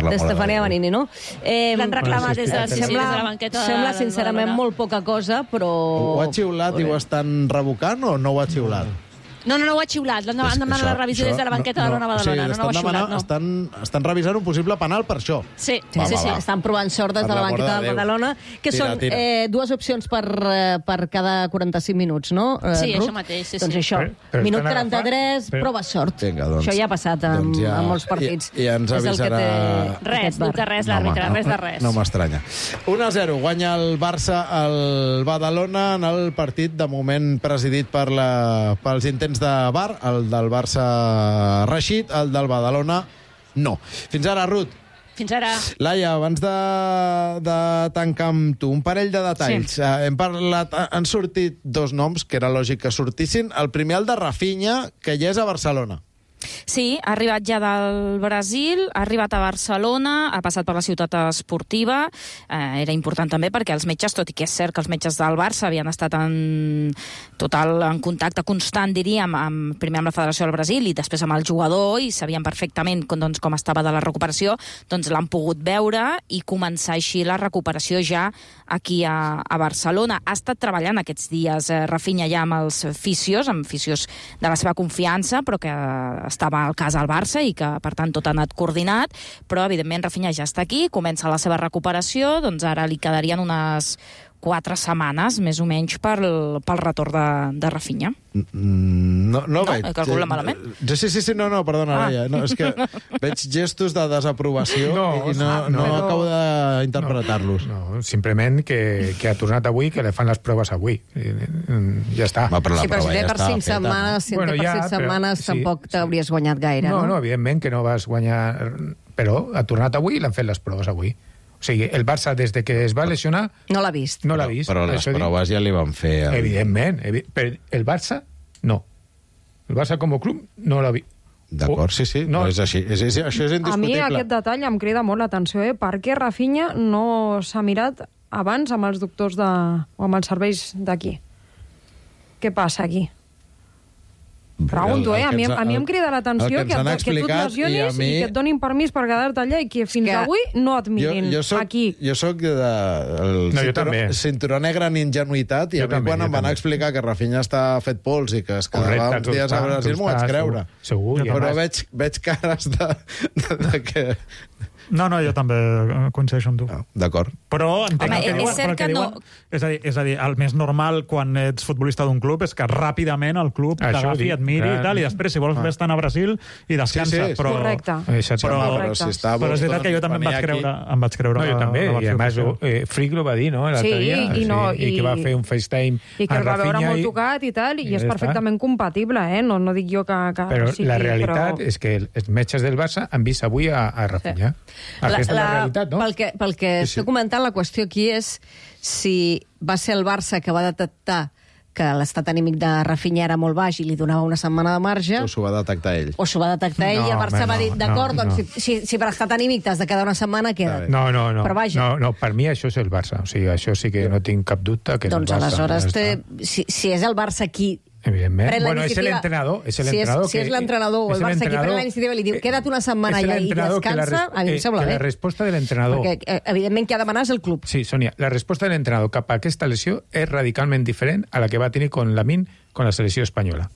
D'Estefania Benini, no? L'han reclamat des de la banqueta. Sembla, sincerament, molt poca cosa, però... Ho ha xiulat i ho estan revocant o no ho ha xiulat? No ho ha xiulat. Han demanat la revisió des de la banqueta de l'Ona Badalona. No ho ha xiulat, no. Estan revisant un possible penal per això. Sí. Estan provant sort des de la banqueta de Badalona, que són 2 opcions per cada 45 minuts, no? Sí, això mateix. Doncs això, minut 33, prova sort. Això ja ha passat en molts partits. I ens avisarà... Res, dubte res, l'àrbitre, res de res. No m'estranya. 1-0, guanya el Barça al Badalona en el partit, de moment presidit pels intents de VAR, el del Barça Rashid, el del Badalona no. Fins ara, Ruth. Fins ara. Laia, abans de tancar amb tu, un parell de detalls. Sí. Hem parlat, han sortit dos noms que era lògic que sortissin. El primer, el de Rafinha, que ja és a Barcelona. Sí, ha arribat ja del Brasil, ha arribat a Barcelona, ha passat per la ciutat esportiva. Era important també perquè els metges, tot i que és cert que els metges del Barça havien estat en contacte constant, diríem, primer amb la Federació del Brasil i després amb el jugador, i sabien perfectament com estava de la recuperació, doncs l'han pogut veure i començar així la recuperació ja aquí a Barcelona. Ha estat treballant aquests dies Rafinha ja amb els fisios de la seva confiança, però que estava al cas al Barça i que, per tant, tot ha anat coordinat, però, evidentment, Rafinha ja està aquí, comença la seva recuperació, doncs ara li quedarien unes 4 setmanes, més o menys, pel retorn de Rafinha. No veig... He calculat malament? Sí, no, perdona, Laia. No, és que veig gestos de desaprovació i no acabo d'interpretar-los. No, simplement que ha tornat avui, que li fan les proves avui. Ja està. Sí, però si té per 5 setmanes, tampoc t'hauries guanyat gaire, no? No, evidentment que no vas guanyar... Però ha tornat avui i l'han fet les proves avui. O sigui, el Barça, des de que es va lesionar... No l'ha vist. No l'ha vist. Però les proves ja li van fer... Evidentment. Però el Barça, no. El Barça com a club no l'ha vist. D'acord, sí. No és així. Això és indiscutible. A mi aquest detall em crida molt l'atenció, Per què Rafinha no s'ha mirat abans amb els doctors o amb els serveis d'aquí? Què passa aquí? Pregunto, A mi em crida l'atenció que tu et lesionis i que et donin permís per quedar-te allà i que fins avui no et mirin aquí. Jo soc del cinturó negre en ingenuïtat i a mi quan em van explicar que Rafinha està fet pols i que es quedava uns dies a Brasil m'ho vaig creure. Segur. Però veig cares de que... No, jo també coincideixo amb tu. D'acord. Però entenc el que diuen. És cert que no... És a dir, el més normal quan ets futbolista d'un club és que ràpidament el club t'agafi, et miri i tal, i després, si vols, vés-te'n a Brasil i descansa. Sí. Correcte. Però és veritat que jo també em vaig creure. No, jo també. I a més, Friglo va dir, no?, l'altre dia. I que va fer un FaceTime i que el va veure molt tocat i tal, i és perfectament compatible, no dic jo que però la realitat és que els metges del Barça han vist avui a Rafinha. Aquesta és la realitat, no? Pel que estic comentant, la qüestió aquí és si va ser el Barça que va detectar que l'estat anímic de Rafinha era molt baix i li donava una setmana de marge... O s'ho va detectar ell. I el Barça va dir, d'acord, doncs si per estat anímic t'has de quedar una setmana, queda't. No. Però vaja. No, per mi això és el Barça. O sigui, això sí que no tinc cap dubte que és el Barça. Doncs aleshores, si és el Barça qui... Evidentment. Bueno, és l'entrenador. Si és l'entrenador o el Barça qui pren la iniciativa i li diu queda't una setmana allà i descansa, a mi em sembla bé. La resposta de l'entrenador... Perquè, evidentment, qui ha de demanar és el club. Sí, Sònia, la resposta de l'entrenador cap a aquesta lesió és radicalment diferent a la que va tenir con Lamine con la selecció espanyola.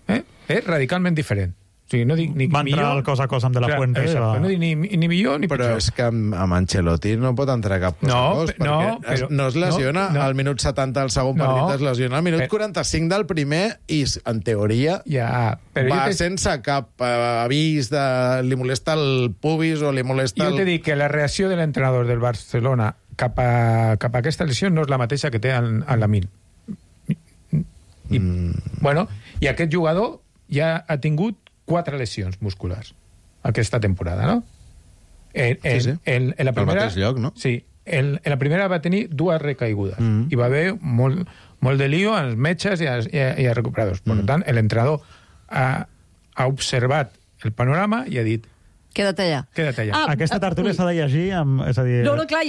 És radicalment diferent. O sigui, no dic ni va entrar millor... el cos a cos amb De La Fuente. No dic ni millor ni pitjor. Però és que amb Ancelotti no pot entrar cap cos a cos, perquè no es lesiona al minut 70 del segon partit, es lesiona al minut 45 del primer i, en teoria, va sense cap avís de... li molesta el pubis o li molesta... Jo t'he dit que la reacció de l'entrenador del Barcelona cap a aquesta lesió no és la mateixa que té en Lamine. Bueno, i aquest jugador ja ha tingut 4 lesions musculars aquesta temporada, no? En la primera, al mateix lloc, no? Sí. En la primera va tenir 2 recaigudes i va haver molt de lío als metges i als recuperadors. Per tant, l'entrenador ha observat el panorama i ha dit queda't allà. Aquesta tertúlia s'ha de llegir, és a dir,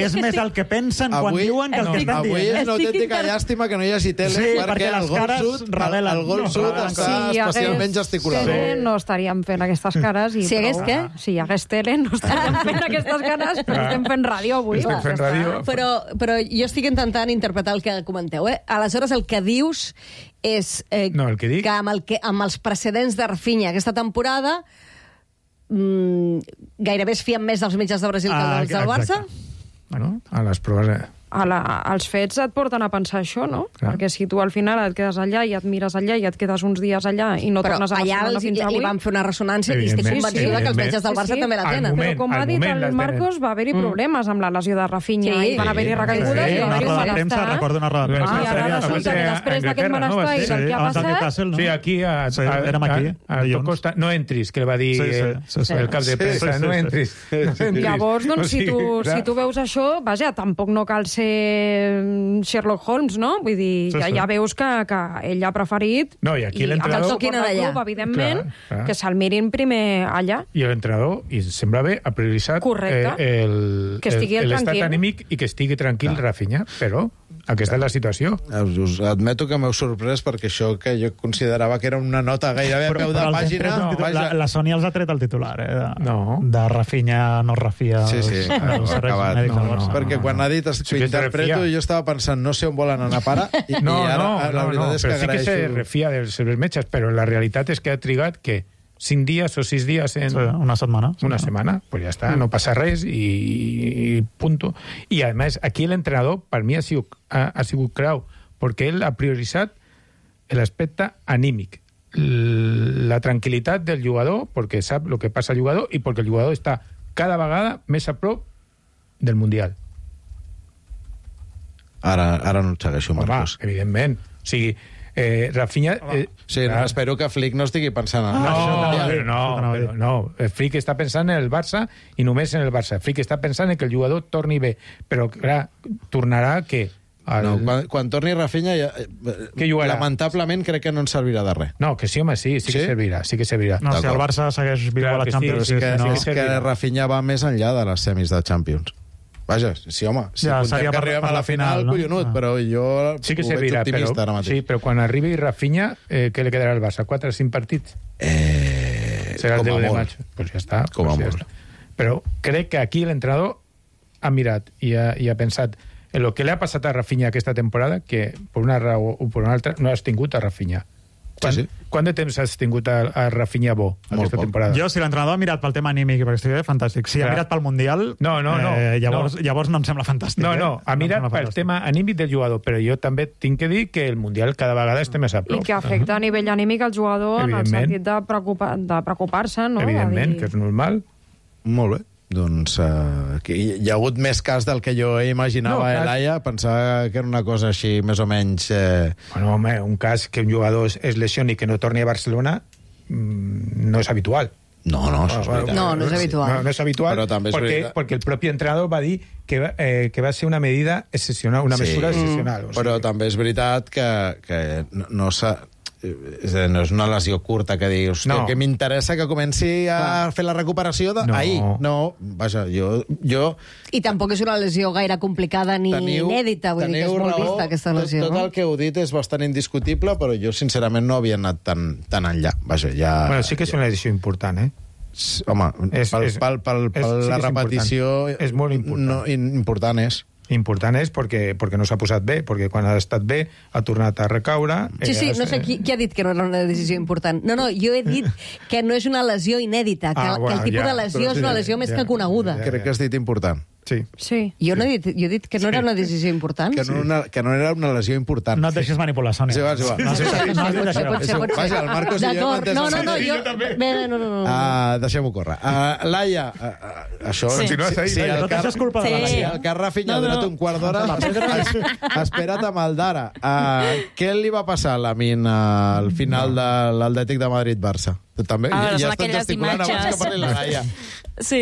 és més el que pensen quan diuen que el que estan dient. Avui és una autèntica llàstima que no hi hagi tele, perquè el gol sud està especialment gesticulat. No estaríem fent aquestes cares. Si hi hagués què? Si hi hagués tele, no estaríem fent aquestes cares, però estem fent ràdio avui. Però jo estic intentant interpretar el que comenteu. Aleshores, el que dius és que amb els precedents de Rafinha aquesta temporada gairebé es fien més dels metges de Brasil que dels del Barça? Bueno, a les proves... els fets et porten a pensar això, no? Clar. Perquè si tu al final et quedes allà i et mires allà i et quedes uns dies allà i no Però tornes a allà Barcelona fins avui... li van fer una ressonància i estic Evidentment, convençuda que els metges del Barça Sí, també la al tenen. moment. Però com ha dit moment el les Marcos, va haver-hi problemes amb la lesió de Rafinha Sí. i van haver-hi recaigudes Sí, i va una haver-hi roda un de premsa, malestar. recordo una roda de premsa. I ara sèria, resulta que després d'aquest malestar i del que ha abans del passat... Newcastle, no? Sí, aquí Sí, érem aquí, a dilluns. Costa, no entris, que le va dir Sí. el cap de premsa, no entris. Llavors, doncs, si tu veus això, vaja, tampoc no cal ser Sherlock Holmes, no? Vull dir, ja veus que ell ha preferit... No, i aquí l'entrenador... el toquin allà. Evidentment, Clar. que se'l mirin primer allà. I l'entrenador, i sembla bé, ha prioritzat Que estigui l'estat tranquil. anímic i que estigui tranquil Rafinha, però aquesta és la situació. Us admeto que m'heu sorprès perquè això que jo considerava que era una nota gairebé a peu de pàgina... La Sony els ha tret el titular, No. de Rafinha no es refia. Sí, acabat. Perquè quan ha dit Sí que que es interpreto, refia. jo estava pensant no sé on volen anar a parar i ara la veritat és que però sí que se agraeixo... refia dels metges, però la realitat és que ha trigat que 5 dies o 6 dies en... Sí, una setmana. Una setmana, pues ja està, no passa res i punto. I, a més, aquí l'entrenador, per mi, ha sigut clau, perquè ell ha prioritzat l'aspecte anímic, la tranquil·litat del jugador, perquè sap el que passa al jugador i perquè el jugador està cada vegada més a prop del Mundial. Ara no et segueixo, Marcos. Home, evidentment. O sigui, Rafinha... Sí, no, espero que Flick no estigui pensant en això. No. Flick està pensant en el Barça i només en el Barça. Flick està pensant en que el jugador torni bé. Però, clar, tornarà què? No, quan torni Rafinha, Què jugarà? lamentablement crec que no ens servirà de res. No, que sí, home, sí que servirà. No, si el Barça segueix viu a la Champions... És que Rafinha va més enllà de les semis de Champions. Vaja, sí, home, si contem que arribem a la final, collonut, però jo sí que ho veig servirà, optimista ara mateix. sí, però quan arribi Rafinha, què li quedarà al Barça? 4 o 5 partits? Serà el 10 de maig. Pues ja està. Com a ja molt. està. Però crec que aquí l'entrenador ha mirat i ha pensat en el que li ha passat a Rafinha aquesta temporada, que per una raó o per una altra no has tingut a Rafinha. Quant de temps has tingut a Rafinha bo aquesta temporada? Jo, si l'entrenador ha mirat pel tema anímic, perquè estic fantàstic. Si ha mirat pel Mundial, llavors no em sembla fantàstic. No, ha mirat pel tema anímic del jugador, però jo també tinc que dir que el Mundial cada vegada està més a prop. I que afecta a nivell anímic al jugador en el sentit de preocupar-se, no? Evidentment, que és normal. Molt bé. Doncs hi ha hagut més cas del que jo imaginava, Laia. Pensava que era una cosa així, més o menys... Bueno, home, un cas que un jugador es lesioni i que no torni a Barcelona no és habitual. No, això és veritat. No és habitual. No és habitual, però també és veritat. perquè el propi entrenador va dir que va ser una medida excepcional, una mesura excepcional. O sigui, però també és veritat que no s'ha... No és una lesió curta que dius que m'interessa que comenci a fer la recuperació d'ahir. No, vaja, jo... I tampoc és una lesió gaire complicada ni inèdita, vull dir que és molt vista aquesta lesió. Tot el que heu dit és bastant indiscutible, però jo sincerament no havia anat tan enllà. Vaja, ja... Bueno, sí que és una lesió important, Home, la repetició... És molt important. Important és. Important és perquè no s'ha posat bé, perquè quan ha estat bé ha tornat a recaure... Sí, no sé qui ha dit que no era una decisió important. No, jo he dit que no és una lesió inèdita, que el tipus de lesió és una lesió més que coneguda. Crec que has dit important. Sí. Jo he dit que no era una decisió important. Que no era una lesió important. No et deixes manipular, Sònia. Sí, va. Vaja, el Marcos i jo hem entès... No. Deixem-ho córrer. Laia, això... Si el que Rafinha ha donat un quart d'hora, espera't amb el d'ara. Què li va passar a Lamine al final de l'Atlètic de Madrid-Barça? També? Ja estan gesticulant abans que parli la Laia. Sí,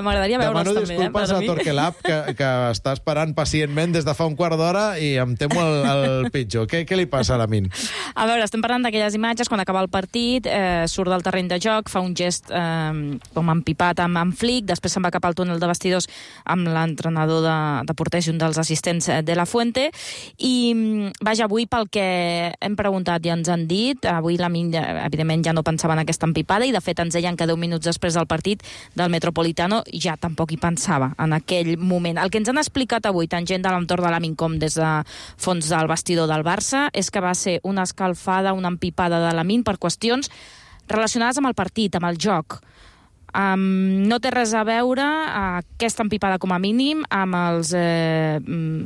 m'agradaria veure'ls també. Demano disculpes a Torquelab, que està esperant pacientment des de fa un quart d'hora i em temo el pitjor. Què li passa a Lamine? A veure, estem parlant d'aquelles imatges quan acaba el partit, surt del terreny de joc, fa un gest com empipat amb Flick, després se'n va cap al túnel de vestidors amb l'entrenador de porters i un dels assistents de la Fuente, i vaja, avui pel que hem preguntat i ens han dit, avui Lamine evidentment ja no pensava en aquesta empipada i de fet ens deien que 10 minuts després del partit del Metropolitano ja tampoc hi pensava en aquell moment. El que ens han explicat avui, tant gent de l'entorn de Lamine com des de fons del vestidor del Barça, és que va ser una escalfada, una empipada de Lamine per qüestions relacionades amb el partit, amb el joc. No té res a veure aquesta empipada com a mínim amb els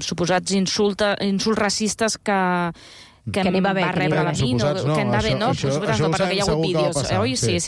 suposats insults racistes que va rebre la mi, que en va bé, no? Suposats no, perquè hi ha hagut vídeos, oi? Sí.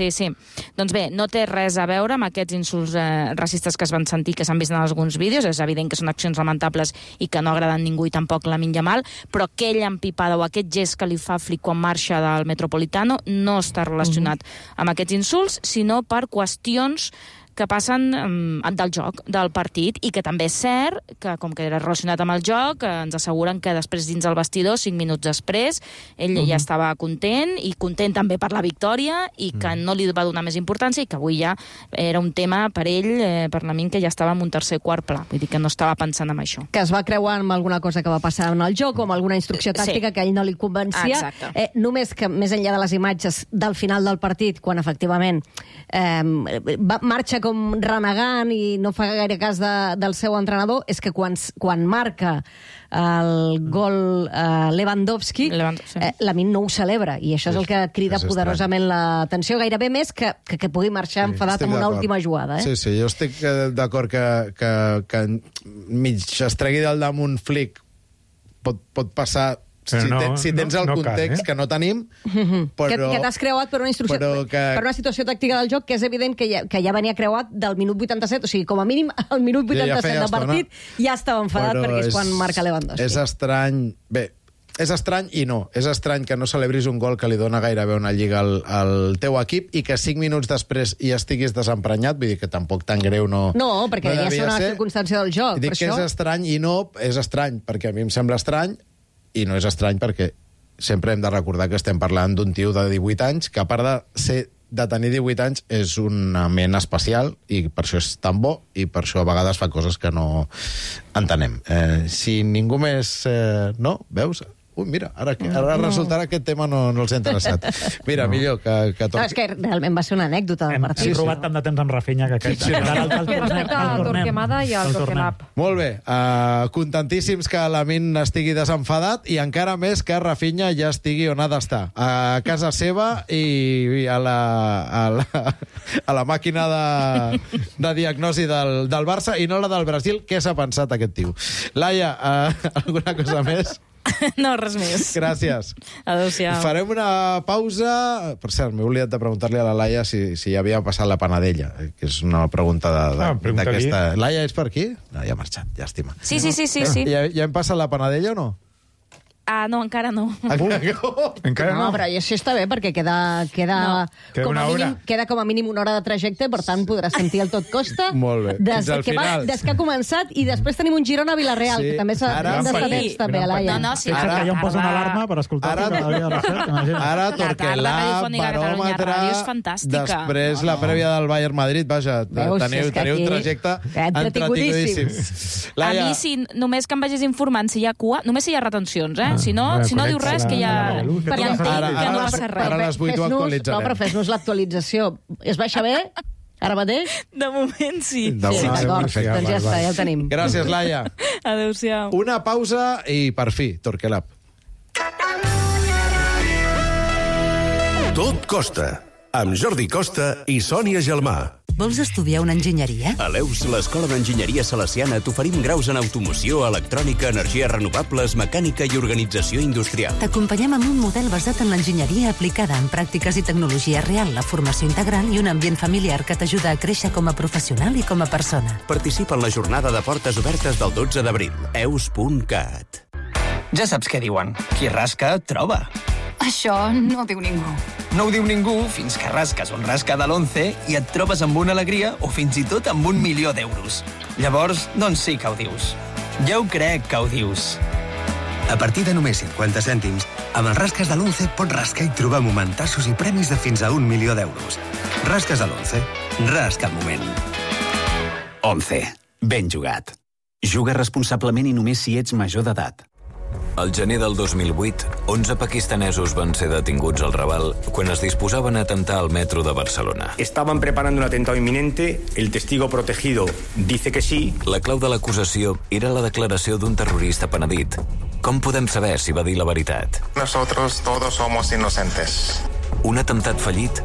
Doncs bé, no té res a veure amb aquests insults racistes que es van sentir, que s'han vist en alguns vídeos. És evident que són accions lamentables i que no agraden ningú i tampoc Lamine Yamal, però aquella empipada o aquest gest que li fa Flick quan marxa del Metropolitano no està relacionat amb aquests insults, sinó per qüestions que passen del joc, del partit, i que també és cert que, com que era relacionat amb el joc, ens asseguren que després dins el vestidor, 5 minuts després, ell ja estava content, i content també per la victòria, i que no li va donar més importància, i que avui ja era un tema per ell, per Lamine, que ja estava en un tercer quart pla. Vull dir que no estava pensant en això. Que es va creuar amb alguna cosa que va passar en el joc o amb alguna instrucció tàctica que a ell no li convencia. Només que, més enllà de les imatges del final del partit, quan efectivament marxa com renegant i no fa gaire cas del seu entrenador, és que quan marca el gol Lewandowski, Lamine no ho celebra, i això és el que crida poderosament l'atenció, gairebé més que pugui marxar enfadat amb una última jugada. Sí, jo estic d'acord que mig es tregui del damunt Flick pot passar si tens el context que no tenim, però... Que t'has creuat per una instrucció, per una situació tàctica del joc que és evident que ja venia creuat del minut 87, o sigui, com a mínim al minut 87 del partit ja estava enfadat perquè és quan marca Lewandowski. És estrany... Bé, és estrany i no. És estrany que no celebris un gol que li dona gairebé una lliga al teu equip i que 5 minuts després hi estiguis desemprenyat, vull dir que tampoc tan greu no... No, perquè ja són una circumstància del joc. Dic que és estrany i no és estrany, perquè a mi em sembla estrany. I no és estrany perquè sempre hem de recordar que estem parlant d'un tio de 18 anys que, a part de tenir 18 anys, és una ment especial i per això és tan bo i per això a vegades fa coses que no entenem. Si ningú més... No? Veus? Ui, mira, ara resultarà que aquest tema no els ha interessat. Mira, millor que toqui. No, és que realment va ser una anècdota del partit. Hem robat tant de temps amb Rafinha que aquest... El Torquemada i el Torquelab. Molt bé. Contentíssims que Lamine estigui desenfadat i encara més que Rafinha ja estigui on ha d'estar. A casa seva i a la màquina de diagnosi del Barça i no la del Brasil. Què s'ha pensat aquest tio? Laia, alguna cosa més? No, res més. Gràcies. Adéu-siau. Farem una pausa. Per cert, m'he oblidat de preguntar-li a la Laia si ja havia passat la panadella, que és una pregunta d'aquesta... Laia, ets per aquí? No, ja ha marxat, llàstima. Sí. Ja hem passat la panadella o no? No, encara no. Encara no? No, però això està bé, perquè queda com a mínim una hora de trajecte, per tant podràs sentir el Tot Costa. Molt bé. Fins al final. Des que ha començat, i després tenim un Girona-Vilareal, que també s'ha d'estar temps, també, a Laia. Ara jo em poso una alarma per escoltar. Ara Torquelab, baròmetre, després la prèvia del Bayern Madrid. Vaja, teniu un trajecte entretinguíssim. A mi, només que em vagis informant si hi ha cua, només si hi ha retencions, Si no diu res, que ja entenc que no passa res. Ara a les 8 ho actualitzarem. No, però fes-nos l'actualització. Es baixa bé? Ara mateix? De moment sí. D'acord, doncs ja està, ja el tenim. Gràcies, Laia. Adéu-siau. Una pausa i, per fi, Torquelab. Tot Costa, amb Jordi Costa i Sònia Gelmà. Vols estudiar una enginyeria? A l'EUS, l'Escola d'Enginyeria Salesiana, t'oferim graus en automoció, electrònica, energies renovables, mecànica i organització industrial. T'acompanyem amb un model basat en l'enginyeria aplicada en pràctiques i tecnologia real, la formació integral i un ambient familiar que t'ajuda a créixer com a professional i com a persona. Participa en la jornada de portes obertes del 12 d'abril. eus.cat. Ja saps què diuen. Qui rasca, troba. Això no ho diu ningú. No ho diu ningú fins que rasques un rasca de l'11 i et trobes amb una alegria o fins i tot amb 1 milió d'euros. Llavors, doncs sí que ho dius. Ja ho crec que ho dius. A partir de només 50 cèntims, amb els rasques de l'11 pots rascar i trobar momentassos i premis de fins a 1 milió d'euros. Rasques de l'11. Rasca el moment. 11. Ben jugat. Juga responsablement i només si ets major d'edat. Al gener del 2008, 11 pakistanesos van ser detinguts al Raval quan es disposaven a atemptar al metro de Barcelona. Estaban preparando un atentado inminente, el testigo protegido dice que sí. La clau de l'acusació era la declaració d'un terrorista penedit. Com podem saber si va dir la veritat? Nosotros todos somos inocentes. Un atemptat fallit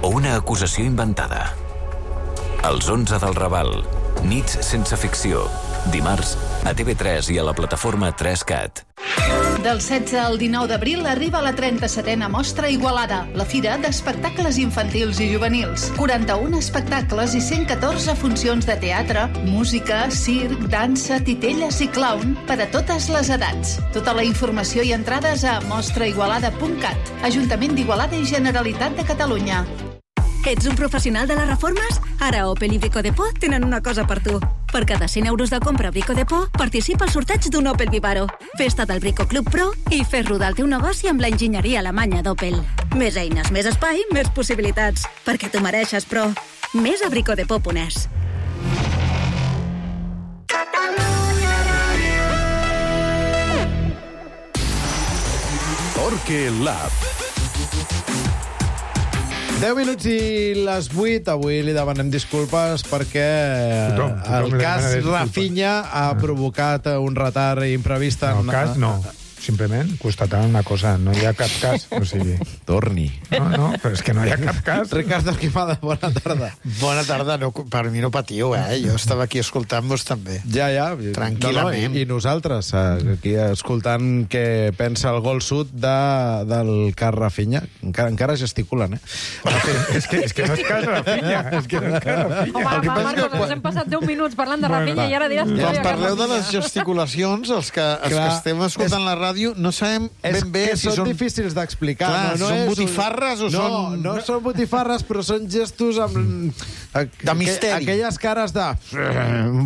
o una acusació inventada? Els 11 del Raval. Nits sense ficció. Dimarts a TV3 i a la plataforma 3CAT. Del 16 al 19 d'abril arriba la 37a Mostra Igualada, la fira d'espectacles infantils i juvenils. 41 espectacles i 114 funcions de teatre, música, circ, dansa, titelles i clown per a totes les edats. Tota la informació i entrades a mostraigualada.cat. Ajuntament d'Igualada i Generalitat de Catalunya. Ets un professional de les reformes? Ara Opel i Brico Depot tenen una cosa per tu. Per cada 100 euros de compra a Brico Depot, participa al sorteig d'un Opel Vivaro. Festa del Brico Club Pro i fes rodar el teu negoci amb la enginyeria alemanya d'Opel. Més eines, més espai, més possibilitats. Perquè t'ho mereixes, però més a bricodepot.es. Torque Lab. 10 minuts i les 8. Avui li demanem disculpes perquè Tothom el cas demana disculpes. Rafinha ha provocat un retard imprevist. No, cas no. Simplement constatant una cosa, no hi ha cap cas. O sigui... Torni. No, però és que no hi ha cap cas. Ricardo Quimada, bona tarda. Bona tarda, no, per mi no patiu, Jo estava aquí escoltant-vos també. Ja. Tranquil·lament. I nosaltres, aquí escoltant què pensa el gol sud del cas Rafinha. Encara gesticulen, És que no és cas Rafinha. És que no és cas Rafinha. Home, Marcos, ens hem passat 10 minuts parlant de Rafinha i ara diràs que no hi Quan ha parleu cas de les gesticulacions, els que estem escoltant la ràdio, no sabem ben bé si són són... difícils d'explicar. Clar, són botifarres o són... No són botifarres, però són gestos amb... De misteri. Aquelles cares de...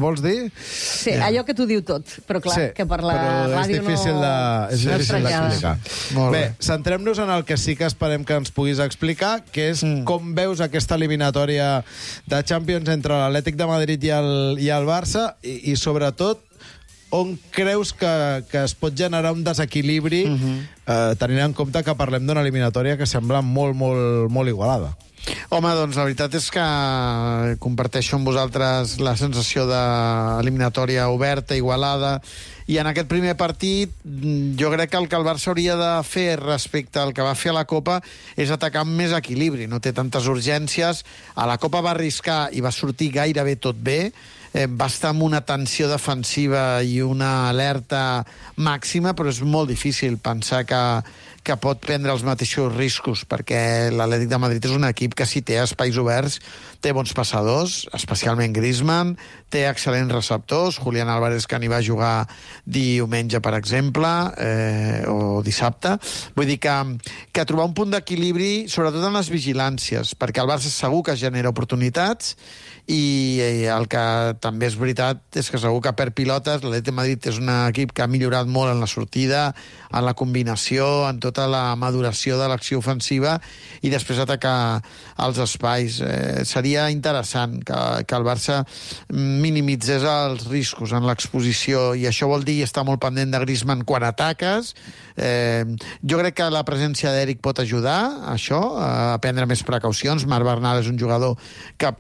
Vols dir? Sí, allò que t'ho diu tot, però clar, que per la ràdio no... És difícil d'explicar. Molt Bé, bé. centrem-nos en el que sí que esperem que ens puguis explicar, que és com veus aquesta eliminatòria de Champions entre l'Atlètic de Madrid i el Barça, i sobretot on creus que es pot generar un desequilibri tenint en compte que parlem d'una eliminatòria que sembla molt, molt, molt igualada. Home, doncs la veritat és que comparteixo amb vosaltres la sensació d'eliminatòria oberta, igualada, i en aquest primer partit jo crec que el que el Barça hauria de fer respecte al que va fer a la Copa és atacar amb més equilibri, no té tantes urgències. A la Copa va arriscar i va sortir gairebé tot bé, va estar amb una tensió defensiva i una alerta màxima, però és molt difícil pensar que pot prendre els mateixos riscos, perquè l'Atlètic de Madrid és un equip que si té espais oberts, té bons passadors, especialment Griezmann, té excel·lents receptors, Julián Álvarez, que n'hi va jugar diumenge, per exemple, o dissabte. Vull dir que trobar un punt d'equilibri, sobretot en les vigilàncies, perquè el Barça segur que genera oportunitats, i el que també és veritat és que segur que perd pilotes. L'Atlètic de Madrid és un equip que ha millorat molt en la sortida, en la combinació, en tota la maduració de l'acció ofensiva, i després atacar els espais. Seria interessant que el Barça minimitzés els riscos en l'exposició, i això vol dir estar molt pendent de Griezmann quan ataques. Jo crec que la presència d'Eric pot ajudar a això, a prendre més precaucions. Marc Bernal és un jugador que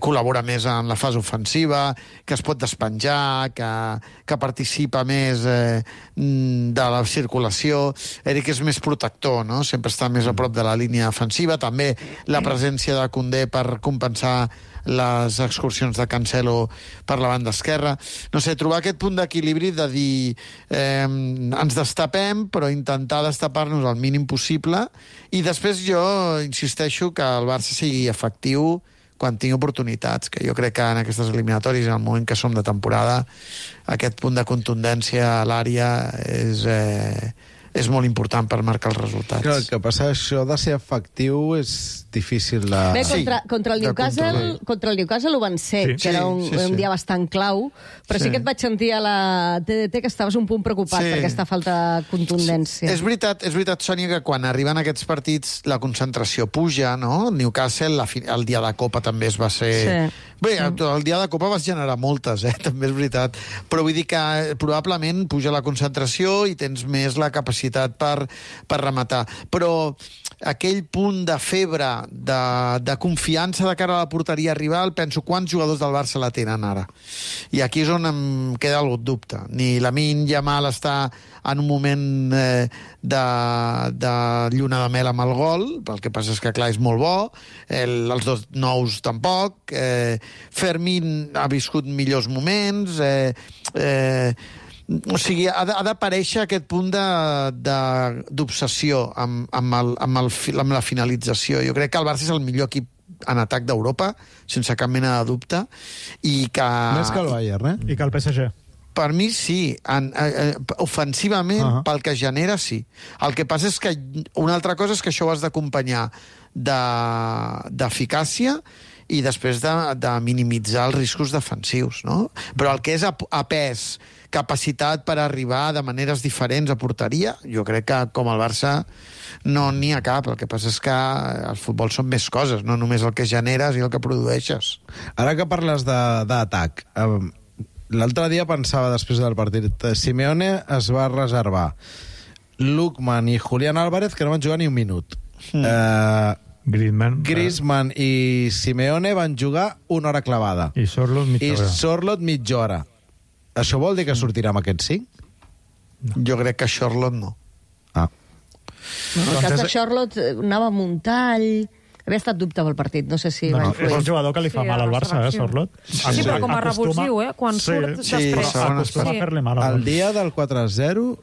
col·labora més en la fase ofensiva, que es pot despenjar, que participa més de la circulació. Eric és més protector, no? Sempre està més a prop de la línia defensiva. També la presència de Koundé per compensar les excursions de Cancelo per la banda esquerra. No sé, trobar aquest punt d'equilibri de dir ens destapem, però intentar destapar-nos el mínim possible, i després jo insisteixo que el Barça sigui efectiu quan tingui oportunitats, que jo crec que en aquestes eliminatòries, en el moment que som de temporada, aquest punt de contundència a l'àrea és molt important per marcar els resultats. Clar, el que passa, això de ser efectiu és difícil de... Bé, contra el Newcastle ho van ser, que era un dia bastant clau, però sí que et vaig sentir a la TDT que estaves un punt preocupat per aquesta falta de contundència. És veritat, Sònia, que quan arriben aquests partits la concentració puja, no? El Newcastle, el dia de Copa també es va ser... Sí. Bé, el dia de Copa vas generar moltes, també és veritat. Però vull dir que probablement puja la concentració i tens més la capacitat capacitat per rematar. Però aquell punt de febre, de confiança de cara a la porteria rival, penso quants jugadors del Barça la tenen ara. I aquí és on em queda algun dubte. Ni Lamine Yamal està en un moment de lluna de mel amb el gol, el que passa és que, clar, és molt bo, els dos nous tampoc, Fermín ha viscut millors moments, o sigui, ha d'aparèixer aquest punt d'obsessió amb la finalització. Jo crec que el Barça és el millor equip en atac d'Europa, sense cap mena de dubte, i que... Més que el Bayern, I que el PSG. Per mi sí, ofensivament, pel que genera, sí. El que passa és que una altra cosa és que això ho has d'acompanyar d'eficàcia i després de minimitzar els riscos defensius, no? Però el que és a pes, capacitat per arribar de maneres diferents a porteria, jo crec que com el Barça no n'hi ha cap. El que passa és que el futbol són més coses, no només el que generes i el que produeixes. Ara que parles d'atac, l'altre dia pensava, després del partit, Simeone es va reservar Lookman i Julián Álvarez, que no van jugar ni un minut. Griezmann i Simeone van jugar una hora clavada. I Sorloth mitja hora. Això vol dir que sortirà amb aquests 5? Jo crec que Sorloth no. En el cas de Sorloth anava amb un tall... Havia estat dubte pel partit, no sé si... No, és un jugador que li fa mal al Barça, Sorloth. Sí, però com a revulsiu, quan surt després. Acostuma a fer-li mal. El dia del 4-0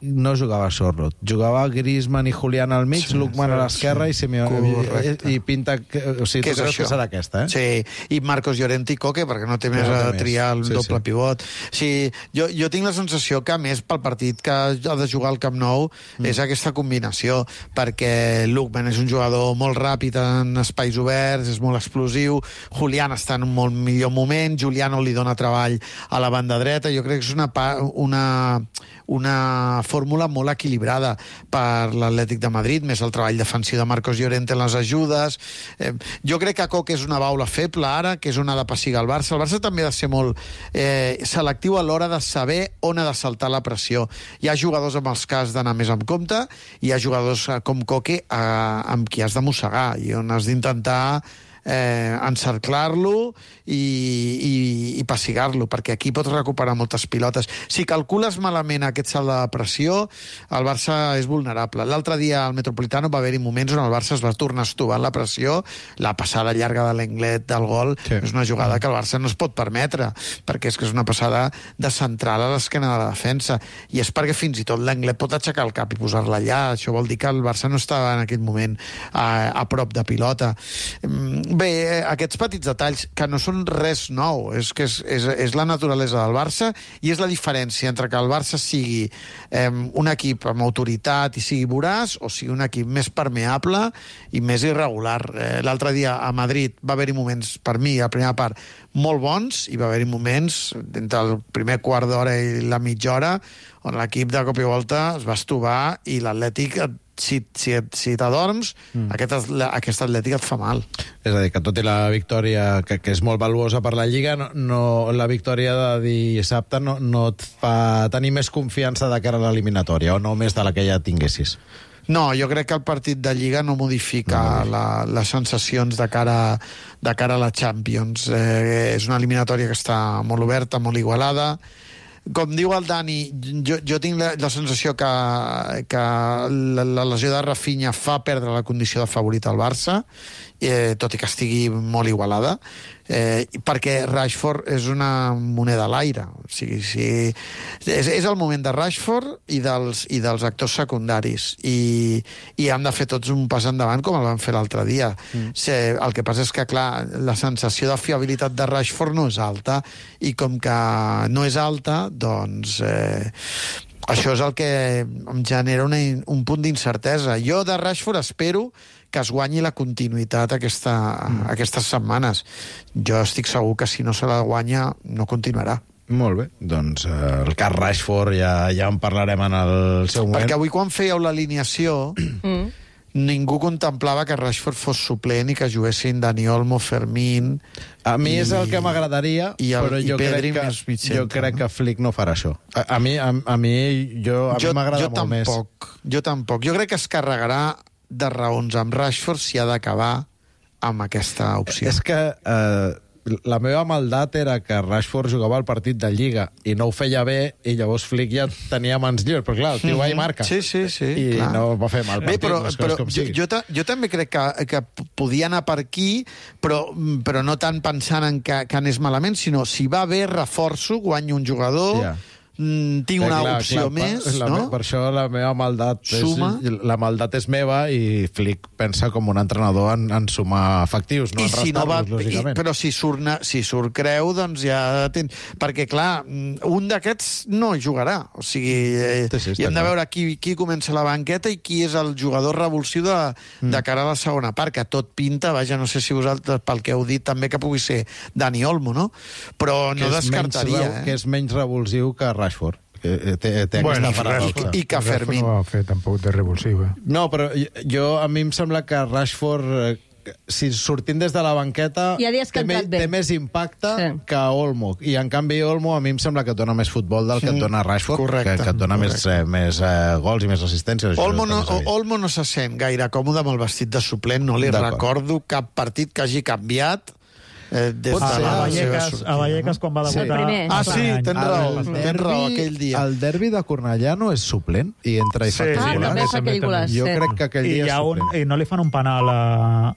no jugava Sorloth. Jugava Griezmann i Julián al mig, Lookman a l'esquerra i Simeone. I pinta... O sigui, tu creus que serà aquesta, Sí, i Marcos Llorente i Coque, perquè no té més a triar el doble pivot. Sí, jo tinc la sensació que, més pel partit que ha de jugar al Camp Nou, és aquesta combinació, perquè Lookman és un jugador molt ràpid en espais oberts, és molt explosiu, Julián està en un molt millor moment, Juliano li dona treball a la banda dreta, jo crec que és una fórmula molt equilibrada per l'Atlètic de Madrid, més el treball defensiu de Marcos Llorente en les ajudes. Jo crec que Coque és una baula feble ara, que és on ha de passigar el Barça. El Barça també ha de ser molt selectiu a l'hora de saber on ha de saltar la pressió. Hi ha jugadors amb els que has d'anar més amb compte, i hi ha jugadors com Coque amb qui has de mossegar, i on has d'intentar encerclar-lo i passigar-lo, perquè aquí pots recuperar moltes pilotes. Si calcules malament aquest salt de pressió, el Barça és vulnerable. L'altre dia al Metropolitano va haver-hi moments on el Barça es va tornar a estovar la pressió. La passada llarga de l'Englet del gol és una jugada que el Barça no es pot permetre, perquè és que és una passada de central a l'esquena de la defensa, i és perquè fins i tot l'Englet pot aixecar el cap i posar-la allà. Això vol dir que el Barça no estava en aquell moment a prop de pilota. Bé, aquests petits detalls que no són res nou, és que és la naturalesa del Barça, i és la diferència entre que el Barça sigui un equip amb autoritat i sigui voraç, o sigui un equip més permeable i més irregular. L'altre dia a Madrid va haver-hi moments, per mi, a la primera part, molt bons, i va haver-hi moments entre el primer quart d'hora i la mitja hora on l'equip de cop i volta es va estovar, i l'Atlètic, si t'adorms, aquest Atlètic et fa mal. És a dir, que tot i la victòria, que és molt valuosa per la Lliga, la victòria de dissabte no et fa tenir més confiança de cara a l'eliminatòria, o no més de la que ja tinguessis? No, jo crec que el partit de Lliga no modifica les sensacions de cara a la Champions. És una eliminatòria que està molt oberta, molt igualada. Com diu el Dani, jo tinc la sensació que la lesió de Rafinha fa perdre la condició de favorit al Barça, tot i que estigui molt igualada, perquè Rashford és una moneda a l'aire. O sigui, és el moment de Rashford i dels actors secundaris, i han de fer tots un pas endavant com el van fer l'altre dia. El que passa és que, clar, la sensació de fiabilitat de Rashford no és alta, i com que no és alta, doncs això és el que em genera un punt d'incertesa. Jo de Rashford espero que es guanyi la continuïtat aquestes setmanes. Jo estic segur que si no se la guanya no continuarà. Molt bé, doncs el cas Rashford ja en parlarem en el seu moment. Perquè avui quan fèieu l'alineació ningú contemplava que Rashford fos suplent i que juguessin Dani Olmo, Fermín... A mi és el que m'agradaria, però jo Pedri jo crec que Flick no farà això. A mi m'agrada molt més. Jo tampoc. Jo crec que es carregarà de raons amb Rashford si ha d'acabar amb aquesta opció. És que la meva maldat era que Rashford jugava el partit de Lliga i no ho feia bé, i llavors Flick ja tenia mans lliures, però clar, el tio va i marca. Sí, I clar. no va fer mal partit. Però jo també crec que podia anar per aquí, però no tant pensant en que anés malament, sinó si va bé, reforço, guanyo un jugador... Yeah. Tinc una opció més, no? Per això la meva maldat la maldat és meva, i Flick pensa com un entrenador en sumar efectius, no en restar-los, lògicament. Però si surt Creu, doncs ja... Perquè, clar, un d'aquests no jugarà. O sigui, i hem de veure qui comença la banqueta i qui és el jugador revulsiu de cara a la segona part, que tot pinta, vaja, no sé si vosaltres, pel que heu dit, també que pugui ser Dani Olmo, no? Però no descartaria. Que és menys revulsiu que Rashford. Té aquesta paradoxa. I que Fermín. No va fer tampoc de revulsiu. No, però a mi em sembla que Rashford, si sortint des de la banqueta, té més impacte que Olmo. I en canvi Olmo a mi em sembla que et dona més futbol del que et dona Rashford, que et dona més gols i més assistències. Olmo no se sent gaire còmode amb el vestit de suplent, no li recordo cap partit que hagi canviat. A Vallecas, quan va debutar... tens raó, aquell dia. El derbi de Cornellà no és suplent i entra i fa també fa aquell golaç. Jo crec que aquell dia és suplent. I no li fan un penal a